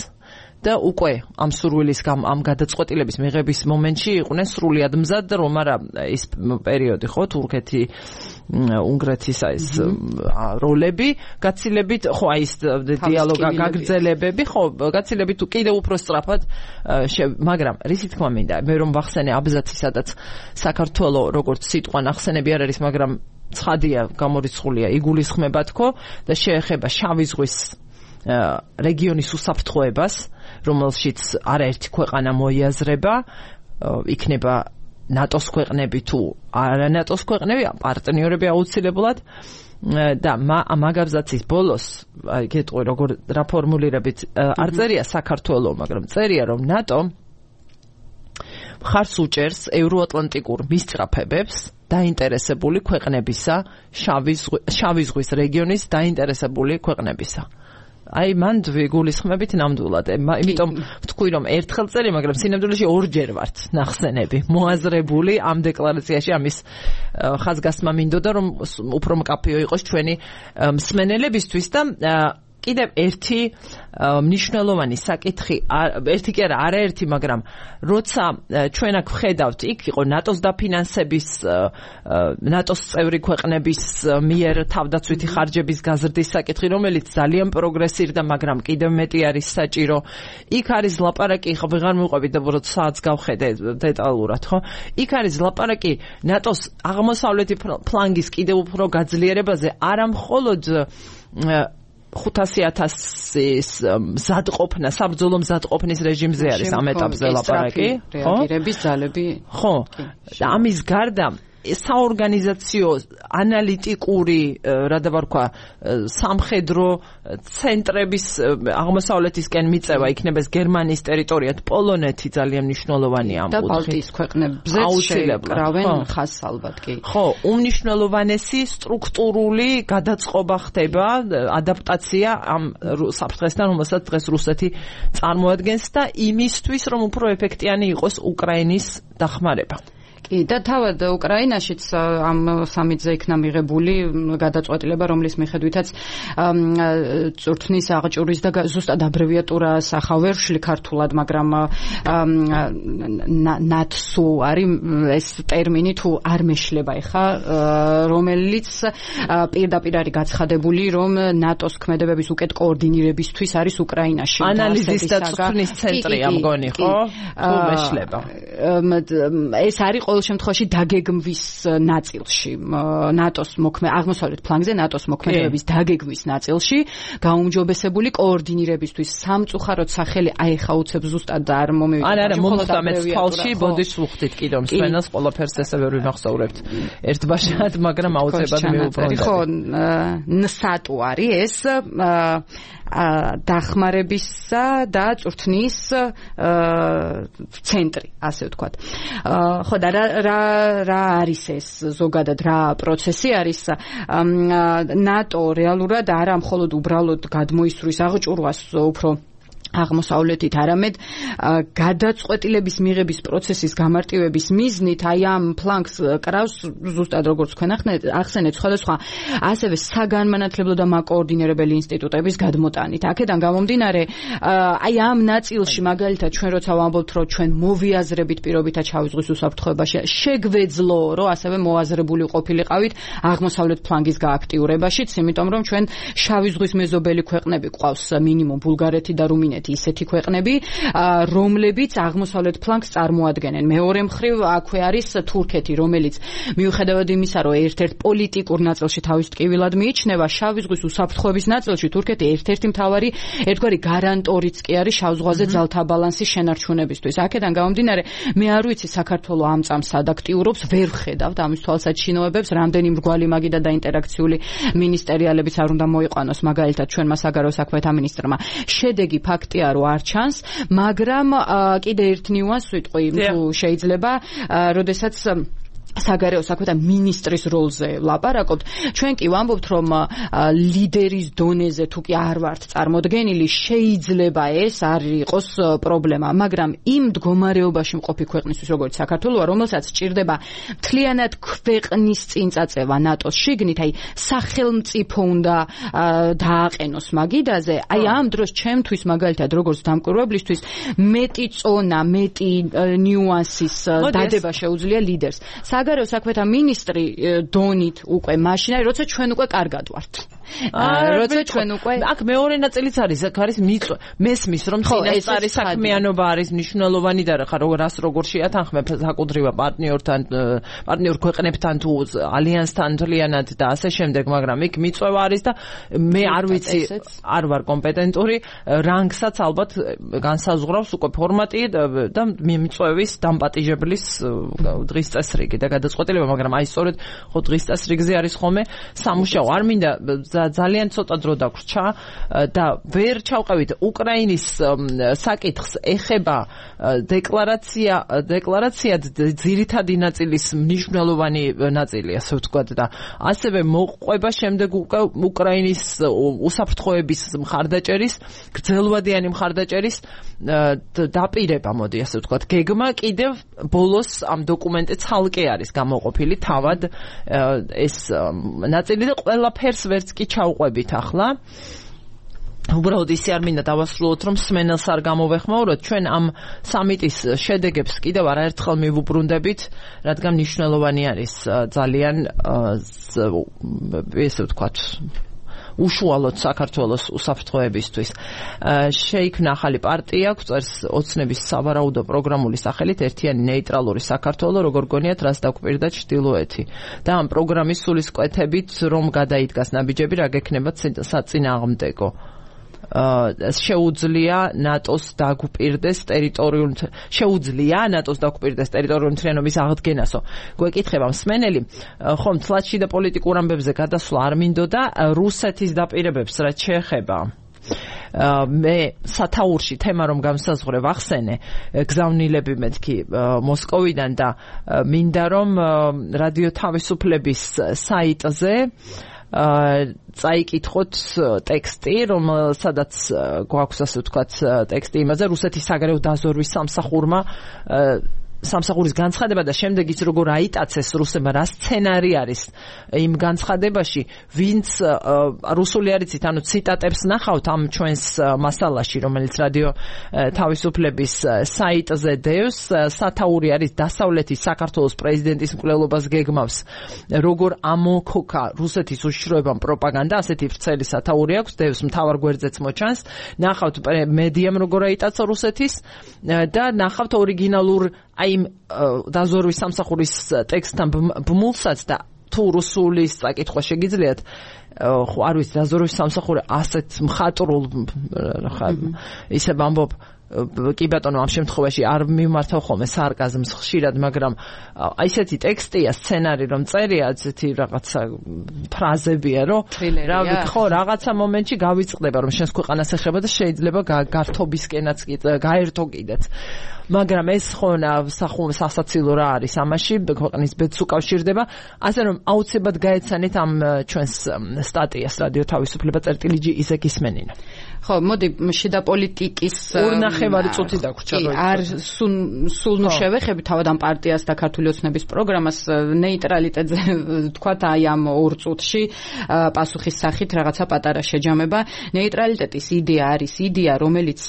და უკვე ამ სურვილის ამ გადაწყვეტილების მიღების მომენტში იყვნენ სრულიად მზად, რომ არა ის პერიოდი ხო თურქეთი უნგრეთის ეს როლები გაცილებით ხო აი ეს დიალოგა გაგრძელებები ხო გაცილებით კიდევ უფრო სწრაფად მაგრამ რისი თქმა მინდა მე რომ ვახსენე აბზაცი სადაც საქართველოს როგორც სიტყვა ნახსენები არ არის მაგრამ ცხადია გამორიცხულია იგულისხმება თქო და შეეხება შავი ზღვის რეგიონის უსაფრთხოებას რომელშიც არაერთი ქვეყანა მოიაზრება იქნება ნატოს ქვეყნები თუ არა ნატოს ქვეყნები პარტნიორები აუცილებლად და მაგაბზაცის ბოლოს აი გეტყვი როგორ რა ფორმულირებით არ წერია საქართველოს მაგრამ წერია რომ ნატო მხარს უჭერს ევროატლანტიკურ მისწრაფებებს დაინტერესებული ქვეყნებისა შავი ზღვის რეგიონის დაინტერესებული ქვეყნებისა აი მან გულისხმებით ნამდვილად იმიტომ ვთქვი რომ ერთხელ წელი მაგრამ სინამდვილეში ორჯერ ვართ ნახსენები მოაზრებული ამ დეკლარაციაში ამის ხაზგასმა მინდოდა რომ უფრო მკაფიო იყოს ჩვენი მსმენელებისთვის და კიდევ ერთი მნიშვნელოვანი საკითხი ერთი კი არა არაერთი მაგრამ როცა ჩვენ აქ ვხედავთ იქ იყო ნატოს დაფინანსების ნატოს წევრი ქვეყნების მიერ თავდაცვითი ხარჯების გაზრდის საკითხი რომელიც ძალიან პროგრესირდა მაგრამ კიდევ მეტი არის საჭირო იქ არის ლაპარაკი ხო ვეღარ მივყვებით და უბრალოდ საათს გავხედე დეტალურად ხო იქ არის ლაპარაკი ნატოს აღმოსავლეთი ფლანგის კიდევ უფრო გაძლიერებაზე არა მხოლოდ 500,000-ის მზადყოფნა, საბრძოლო მზადყოფნის რეჟიმზე არის ამ ეტაპზე ლაპარაკი, ხო? რეაგირების ძალები. ხო. და ამის გარდა საორგანიზაციო ანალიტიკური რა დავარქვა სამხედრო ცენტრების აღმოსავლეთისკენ მიწევა იქნება ეს გერმანიის ტერიტორია პოლონეთი ძალიან მნიშვნელოვანია ამ კუთხით და ბალტიის ქვეყნებზე შეკრავენ ხაზს ალბათ კი ხო უმნიშვნელოვანესი სტრუქტურული გადაწყობა ხდება ადაპტაცია ამ საფრთხესთან რომელსაც დღეს რუსეთი წარმოადგენს და იმისთვის რომ უფრო ეფექტიანი იყოს უკრაინის დახმარება კი და თავად უკრაინაშიც ამ სამიტზე იქნა მიღებული გადაწყვეტილება რომლის მიხედვითაც წვრთნის აღჭურის და ზუსტად აბრევიატურა სახავ ვერშლი ქართულად მაგრამ ნატსუ არის ეს ტერმინი თუ არ მეშლება ეხა რომელიც პირდაპირ არის გაცხადებული რომ ნატოს ქმედებების უკეთ კოორდინირებისთვის არის უკრაინაში ანალიზის და წვრთნის ცენტრია მგონი ხო თუ მეშლება ეს არის ყოველ შემთხვევაში დაგეგმვის ნაწილში ნატოს აღმოსავლეთ ფლანგზე ნატოს მოქმედებების დაგეგმვის ნაწილში გაუმჯობესებული კოორდინირებისთვის სამწუხაროდ სახელი აიხაუცებს ზუსტად და არ მომივიდა არა მომხდამეთ თვალში ბოდიშს ვუხდით კიდევ მსვენელს ყველაფერს ესე ვერ ვიმახსოვრებთ ერთბაშად მაგრამ აუცილებლად მივუბრუნდეთ ხო ნსატუ არის ეს დახმარებისა და წვრთნის ცენტრი ასე ვთქვათ ხო და რა არის ეს ზოგადად რა პროცესი არის ნატო რეალურად არა მხოლოდ უბრალოდ გადმოისვრის აღჭურვას უფრო აღმოსავლეთით არამედ გადაწყვეტილების მიღების პროცესის გამარტივების მიზნით აი ამ ფლანგს კრავს ზუსტად როგორც თქვენ ახსენეთ სხვადასხვა ასევე საგანმანათლებლო და მაკოორდინირებელი ინსტიტუტების გადმოტანით აქედან გამომდინარე აი ამ ნაწილში მაგალითად ჩვენ როცა ვამბობთ რომ ჩვენ მოვიაზრებით პირობითად შავი ზღვის უსაფრთხოებაში შეგვეძლო რომ ასევე მოაზრებული ყოფილიყავით აღმოსავლეთ ფლანგის გააქტიურებაშიც იმიტომ რომ ჩვენ შავი ზღვის მეზობელი ქვეყნები გვყავს მინიმუმ ბულგარეთი და რუმინეთი ისეთი ქვეყნები, რომლებიც აღმოსავლეთ ფლანგს წარმოადგენენ. მეორე მხრივ აქვე არის თურქეთი, რომელიც მიუხედავად იმისა, რომ ერთ-ერთ პოლიტიკურ ნაწილში თავის ტკივილად მიიჩნევა, შავი ზღვის უსაფრთხოების ნაწილში თურქეთი ერთ-ერთი მთავარი ერთგვარი გარანტორიც კი არის შავ ზღვაზე ძალთა ბალანსის შენარჩუნებისთვის. აქედან გამომდინარე, მე არ ვიცი საქართველოს ამ წამს ადაქტიურობს, ვერ ვხედავთ ამის თვალსაჩინოებებს, რამდენი მრგვალი მაგიდა და ინტერაქციული მინისტერიალებიც არ უნდა მოიყვანოს, მაგალითად ჩვენმა საგარეო საქმეთა მინისტრმა. შედეგი ფაქტია რომ არ ჩანს, მაგრამ კიდე ერთ ნიუანს ვიტყვი, თუ შეიძლება, როდესაც საგარეო საქმეთა მინისტრის როლზე ვლაპარაკობთ. ჩვენ კი ვამბობთ, რომ ლიდერის დონეზე თუ კი არ ვართ წარმოდგენილი, შეიძლება ეს არ იყოს პრობლემა, მაგრამ იმ მდგომარეობაში მყოფი ქვეყნისთვის, როგორც საქართველოა, რომელსაც სჭირდება მთლიანად ქვეყნის წინწაწევა ნატოს შიგნით, აი სახელმწიფო უნდა დააყენოს მაგიდაზე, აი ამ დროს ჩემთვის მაგალითად როგორც დამკვირვებლისთვის მეტი წონა, მეტი ნიუანსის დადება შეუძლია ლიდერს. საგარეო საქმეთა მინისტრი დონით უკვე მაშინ არის, როცა ჩვენ უკვე კარგად ვართ. როცა ჩვენ უკვე აქ მეორე ნაწილიც არის, აქ არის მესმის, რომ წინასწარი საქმიანობა არის მნიშვნელოვანი და რას როგორ შეათანხმებ საკუთრივ პარტნიორ ქვეყნებთან თუ ალიანსთან მთლიანად და ასე შემდეგ, მაგრამ იქ მიწვევა არის და მე არ ვიცი, არ ვარ კომპეტენტური, რანგსაც ალბათ განსაზღვრავს უკვე ფორმატი და მიწვევის დამპატიჟებლის დღის წესრიგი და გადაწყვეტილება, მაგრამ აი სწორედ ხო დღის წესრიგზე არის ხოლმე სამუშაო. არ მინდა ძალიან ცოტა დრო დაგვრჩა და ვერ ჩავყევით უკრაინის საკითხს ეხება დეკლარაცია ძირითადი ნაწილის მნიშვნელოვანი ნაწილი, ასე ვთქვათ, და ასევე მოყვება შემდეგ უკრაინის უსაფრთხოების მხარდაჭერის, გრძელვადიანი მხარდაჭერის დაპირება, მოდი ასე ვთქვათ. გეგმა კიდევ ბოლოს ამ დოკუმენტზე ცალკე არის გამოყოფილი თავად ეს ნაწილი და ყველაფერს ვერც კი ჩავყვებით ახლა. უბრალოდ ისე არ მინდა დავასრულოთ, რომ სმენელს არ გამოვეხმაუროთ. ჩვენ ამ სამიტის შედეგებს კიდევ არაერთხელ მივუბრუნდებით, რადგან მნიშვნელოვანი არის ძალიან ესე ვთქვათ უშუალოდ საქართველოს უსაფრთხოებისთვის. შეიქმნა ახალი პარტია, გვწერს ოცნების სავარაუდო პროგრამული სახელით ერთიანი ნეიტრალური საქართველო, როგორ გონიათ, რას დაგვპირდა ჩრდილოეთი. და ამ პროგრამის სულისკვეთებით რომ გადაიდგას ნაბიჯები, რა გექნება საწინააღმდეგო. შეუძლია ნატოს დაგვპირდეს ტერიტორიული მთლიანობის აღდგენასო. გვეკითხება მსმენელი, ხომ თლათში და პოლიტიკურ ამბებზე გადასვლა არ მინდოდა რუსეთის დაპირებებს რაც შეეხება. მე სათაურში თემა რომ გამსაზღვრე ვახსენე გზავნილები მეთქი მოსკოვიდან და მინდა რომ რადიო თავისუფლების საიტზე წაიკითხოთ ტექსტი, რომელსაც გვაქვს ასე ვთქვათ ტექსტი იმაზე რუსეთის საგარეო დაზორვის სამსახურის განცხადება და შემდეგ ის როგორ აიტაცეს რუსებმა რა სცენარი არის იმ განცხადებაში, ვინც რუსული არიცით, ანუ ციტატებს ნახავთ ამ ჩვენს მასალაში, რომელიც რადიო თავისუფლების საიტზე დევს. სათაური არის დასავლეთის საქართველოს პრეზიდენტის მკვლელობას გეგმავს, როგორ ამოქოქა რუსეთის უშიშროებამ პროპაგანდა, ასეთი ვრცელი სათაური აქვს, დევს მთავარ გვერდზეც მოჩანს. ნახავთ მედიამ როგორ აიტაცა რუსეთის და ნახავთ ორიგინალურ აი დაზორვის სამსახურის ტექსტთან ბმულსაც და თუ რუსულის წაკითხვა შეგიძლიათ, ხო არ ვიცი, დაზორვის სამსახური ასეთ მხატვრულ ისე ვამბობ, კი ბატონო, ამ შემთხვევაში არ მიმართავ ხოლმე სარკაზმს ხშირად, მაგრამ ისეთი ტექსტია, სცენარი რომ წერია, ესეთი რაღაცა ფრაზებია, რომ ხო, რაღაცა მომენტში გავიწყდება, რომ შენს ქვეყანას ეხება და შეიძლება გართობისკენაც გაერთო კიდეც. მაგრამ ეს ხო სასაცილო რა არის ამაში, ქვეყნის ბედს უკავშირდება, ასე რომ აუცილებლად გაეცანით ამ ჩვენს სტატიას რადიო თავისუფლება წერტილი ისე გისმენინა. ხო, მოდი შიდა პოლიტიკის 2.5 წუთი დაგვრჩა. არ სულ შევეხები თავად ამ პარტიას და ქართული ოცნების პროგრამას ნეიტრალიტეტზე თქვათ აი ამ 2 წუთში პასუხის სახით რაღაცა პატარა შეჯამება. ნეიტრალიტეტის იდეა არის იდეა, რომელიც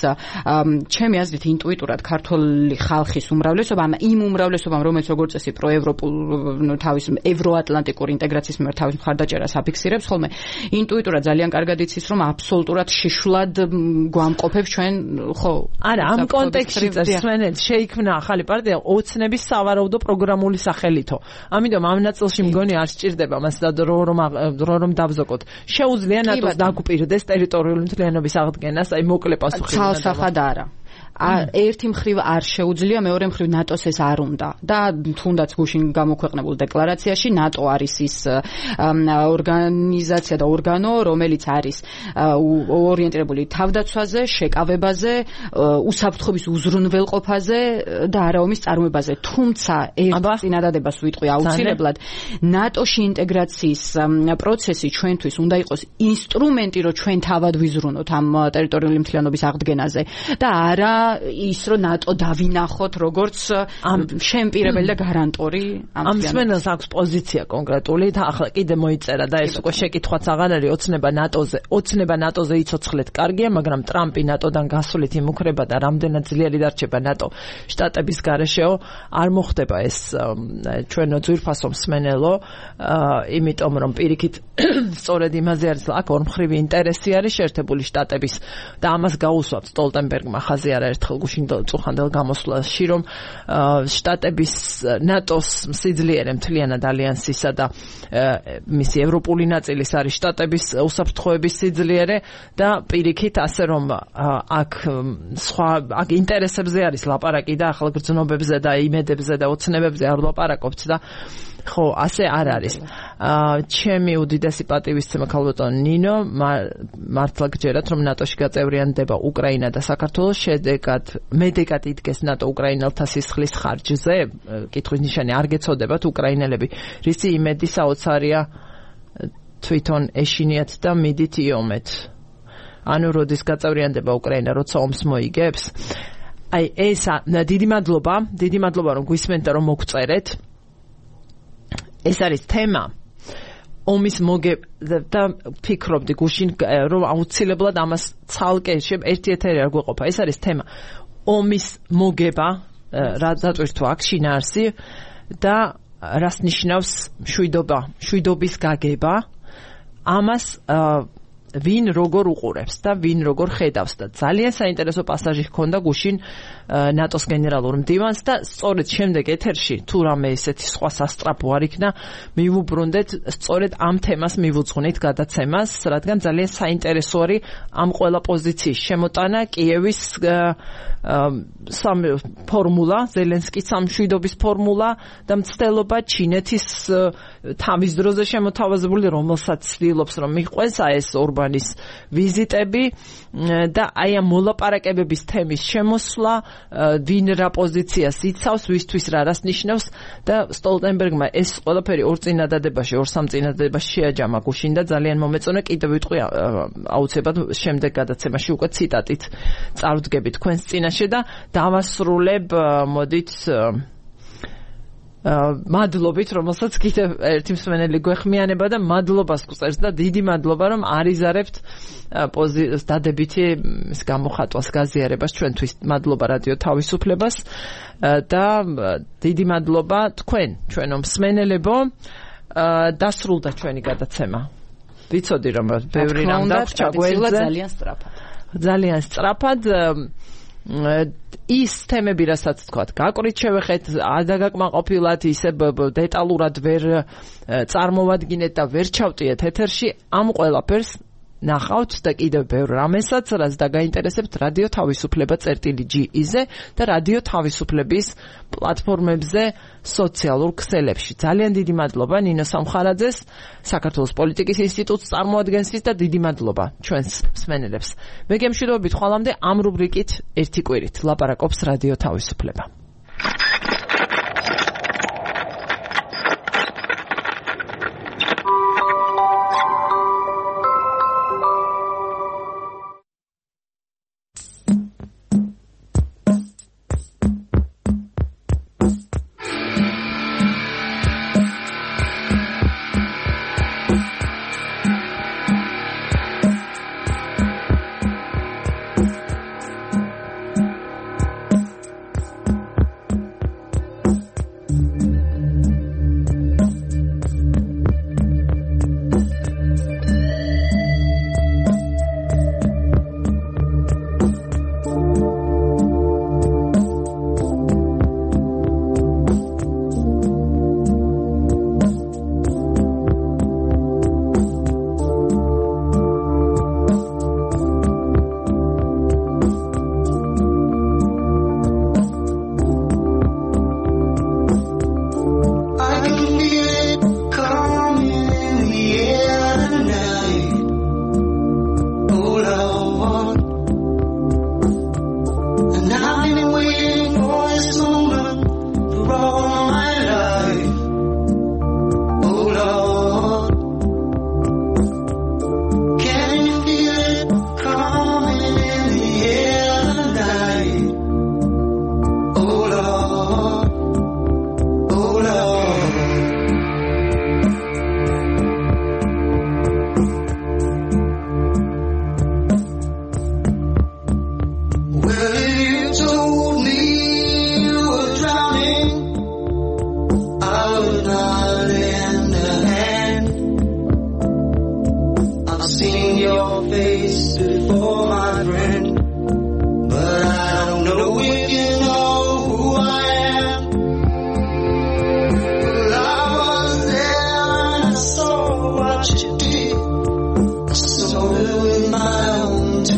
ჩემი აზრით ინტუიტურად ქართული ხალხის უმრავლესობამ, იმ უმრავლესობამ, რომელიც როგორც წესი თავის ევროატლანტიკური ინტეგრაციის მიმართ თავის მხარდაჭერას აფიქსირებს, ხოლმე ინტუიტურად ძალიან კარგად იცის, რომ აბსოლუტურად შიშულად გვამყოფებს ჩვენ, ხო? არა, ამ კონტექსტში წესმენელს შეიქმნა ახალი პარტია ოცნების სავარაუდო პროგრამული სახელითო. ამიტომ ამ ნაწილში მგონი არ სჭირდება მას რომ დავზოგოთ. შეუძლია ნატოს დაგვპირდეს ტერიტორიული მთლიანობის აღდგენას, აი მოკლე პასუხი. ცალსახად არა. ერთი მხრივ არ შეუძლია, მეორე მხრივ ნატოს ეს არ უნდა და თუნდაც გუშინ გამოქვეყნებულ დეკლარაციაში ნატო არის ის ორგანიზაცია და ორგანო, რომელიც არის ორიენტირებული თავდაცვაზე, შეკავებაზე, უსაფრთხოების უზრუნველყოფაზე და არაომის წარმოებაზე. თუმცა ერთ წინადადებას ვიტყვი აუცილებლად ნატოში ინტეგრაციის პროცესი ჩვენთვის უნდა იყოს ინსტრუმენტი, რომ ჩვენ თავად ვიზრუნოთ ამ ტერიტორიული მთლიანობის აღდგენაზე და არა ის რომ ნატო დავინახოთ როგორც შემპირებელი და გარანტორი ამ მსმენელს აქვს პოზიცია კონკრეტული და ახლა კიდე მოიწერა და ეს უკვე შეკითხვაც აღარ არის ოცნება ნატოზე იცოცხლეთ კარგია, მაგრამ ტრამპი ნატოდან გასვლით იმუქრება და რამდენად ძლიერი დარჩება ნატო შტატების გარეშეო არ მოხდება ეს ჩვენო ძვირფასო მსმენელო, იმიტომ რომ პირიქით სწორედ იმაზე არის აქ ორმხრივი ინტერესი არის შეერთებული შტატების და ამას გაუსვამთ სტოლტენბერგმა ხაზი არაერთხელ გუშინ წუხანდელ გამოსვლაში, რომ შტატების ნატოს სიძლიერე მთლიანად ალიანსისა და მისი ევროპული ნაწილის არის შტატების უსაფრთხოების სიძლიერე და პირიქით ასე რომ აქ ინტერესებზე არის ლაპარაკი და ახალ გრძნობებზე და იმედებზე და ოცნებებზე არ ლაპარაკობთ და ხო, ასე არ არის. ჩემი უდიდესი პატივისცემა ქალბატონ ნინო, მართლა გჯერათ, რომ ნატოში გაწევრიანდება უკრაინა და საქართველოს, მედეგად იდგეს ნატო უკრაინელთა სისხლის ხარჯზე. კითხვის ნიშანი არ გეცოდებათ უკრაინელები, რისი იმედი საოცარია თვითონ ეშინიათ და მიდით იომეთ. ანუ როდის გაწევრიანდება უკრაინა, როცა ომს მოიგებს? აი ეს დიდი მადლობა რომ გვისმენთ და რომ მოგწერეთ. ეს არის თემა ომის და ფიქრობდი გუშინ რომ აუცილებლად ამას ცალკე ერთი ეთერი არ გვეყოფა. ეს არის თემა ომის მოგება, რატო აქ შინაარსი და რას ნიშნავს მშვიდობის გაგება. ამას ვინ როგორ უყურებს და ვინ როგორ ხედავს და ძალიან საინტერესო პასაჟი ჰქონდა გუშინ ნატოს გენერალურ მდივანს და სწორედ შემდეგ ეთერში თუ რამე ესეთი სხვა სასტრაფო არ იქნა მივუბრუნდეთ სწორედ ამ თემას მივუძღვნით გადაცემას, რადგან ძალიან საინტერესო არის ამ ყველა პოზიციის შემოტანა, კიევის ფორმულა, ზელენსკის სამშვიდობის ფორმულა და მცდელობა ჩინეთის თავის დროზე შემოთავაზებული, რომელსაც ცდილობს რომ მიყვეს ეს ორბანის ვიზიტები და აი ამ მოლაპარაკებების თემის შემოსვლა, ვინ რა პოზიციას იცავს, ვისთვის რას ნიშნავს და სტოლტენბერგმა ეს ყველაფერი ორ სამ წინადადებაში შეაჯამა გუშინ და ძალიან მომეწონა. კიდევ ვიტყვი აუცილებლად შემდეგ გადაცემაში უკვე ციტატით წავდგებით თქვენს წინაშე და დავასრულებ მოდით მადლობით, რომელსაც კიდევ ერთი მსმენელი გვეხმიანება და მადლობას გწერს და დიდი მადლობა რომ არიზარებთ დადებითი გამოხატვას, გაზიარებას ჩვენთვის. მადლობა რადიო თავისუფლებას და დიდი მადლობა თქვენ, ჩვენო მსმენელებო. დასრულდა ჩვენი გადაცემა. ვიცოდი რომ ბევრი რამ დაგვჭა გვერდზე. ძალიან სწრაფად. ის თემები, რასაც თქვათ, გაკვირით შევეხეთ, ადაგაკმაყოფილად, ისე დეტალურად ვერ წარმოვადგინეთ და ვერ ჩავტიეთ ეთერში. ამ ყველაფერს ნახავთ და კიდევ ბევრ რამესაც, რაც დაგაინტერესებთ რადიო თავისუფლება წერტილი.gi-ზე და რადიო თავისუფლების პლატფორმებზე, სოციალურ ქსელებში. ძალიან დიდი მადლობა ნინო სამხარაძეს, საქართველოს პოლიტიკის ინსტიტუტს წარმოადგენსის და დიდი მადლობა ჩვენს მსმენელებს. მე გემშვიდობებით ხვალამდე ამ რუბრიკით ერთი კვირით ლაპარაკობს რადიო თავისუფლება.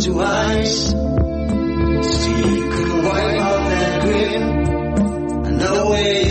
to ice. See, you couldn't wipe out that grin. I know where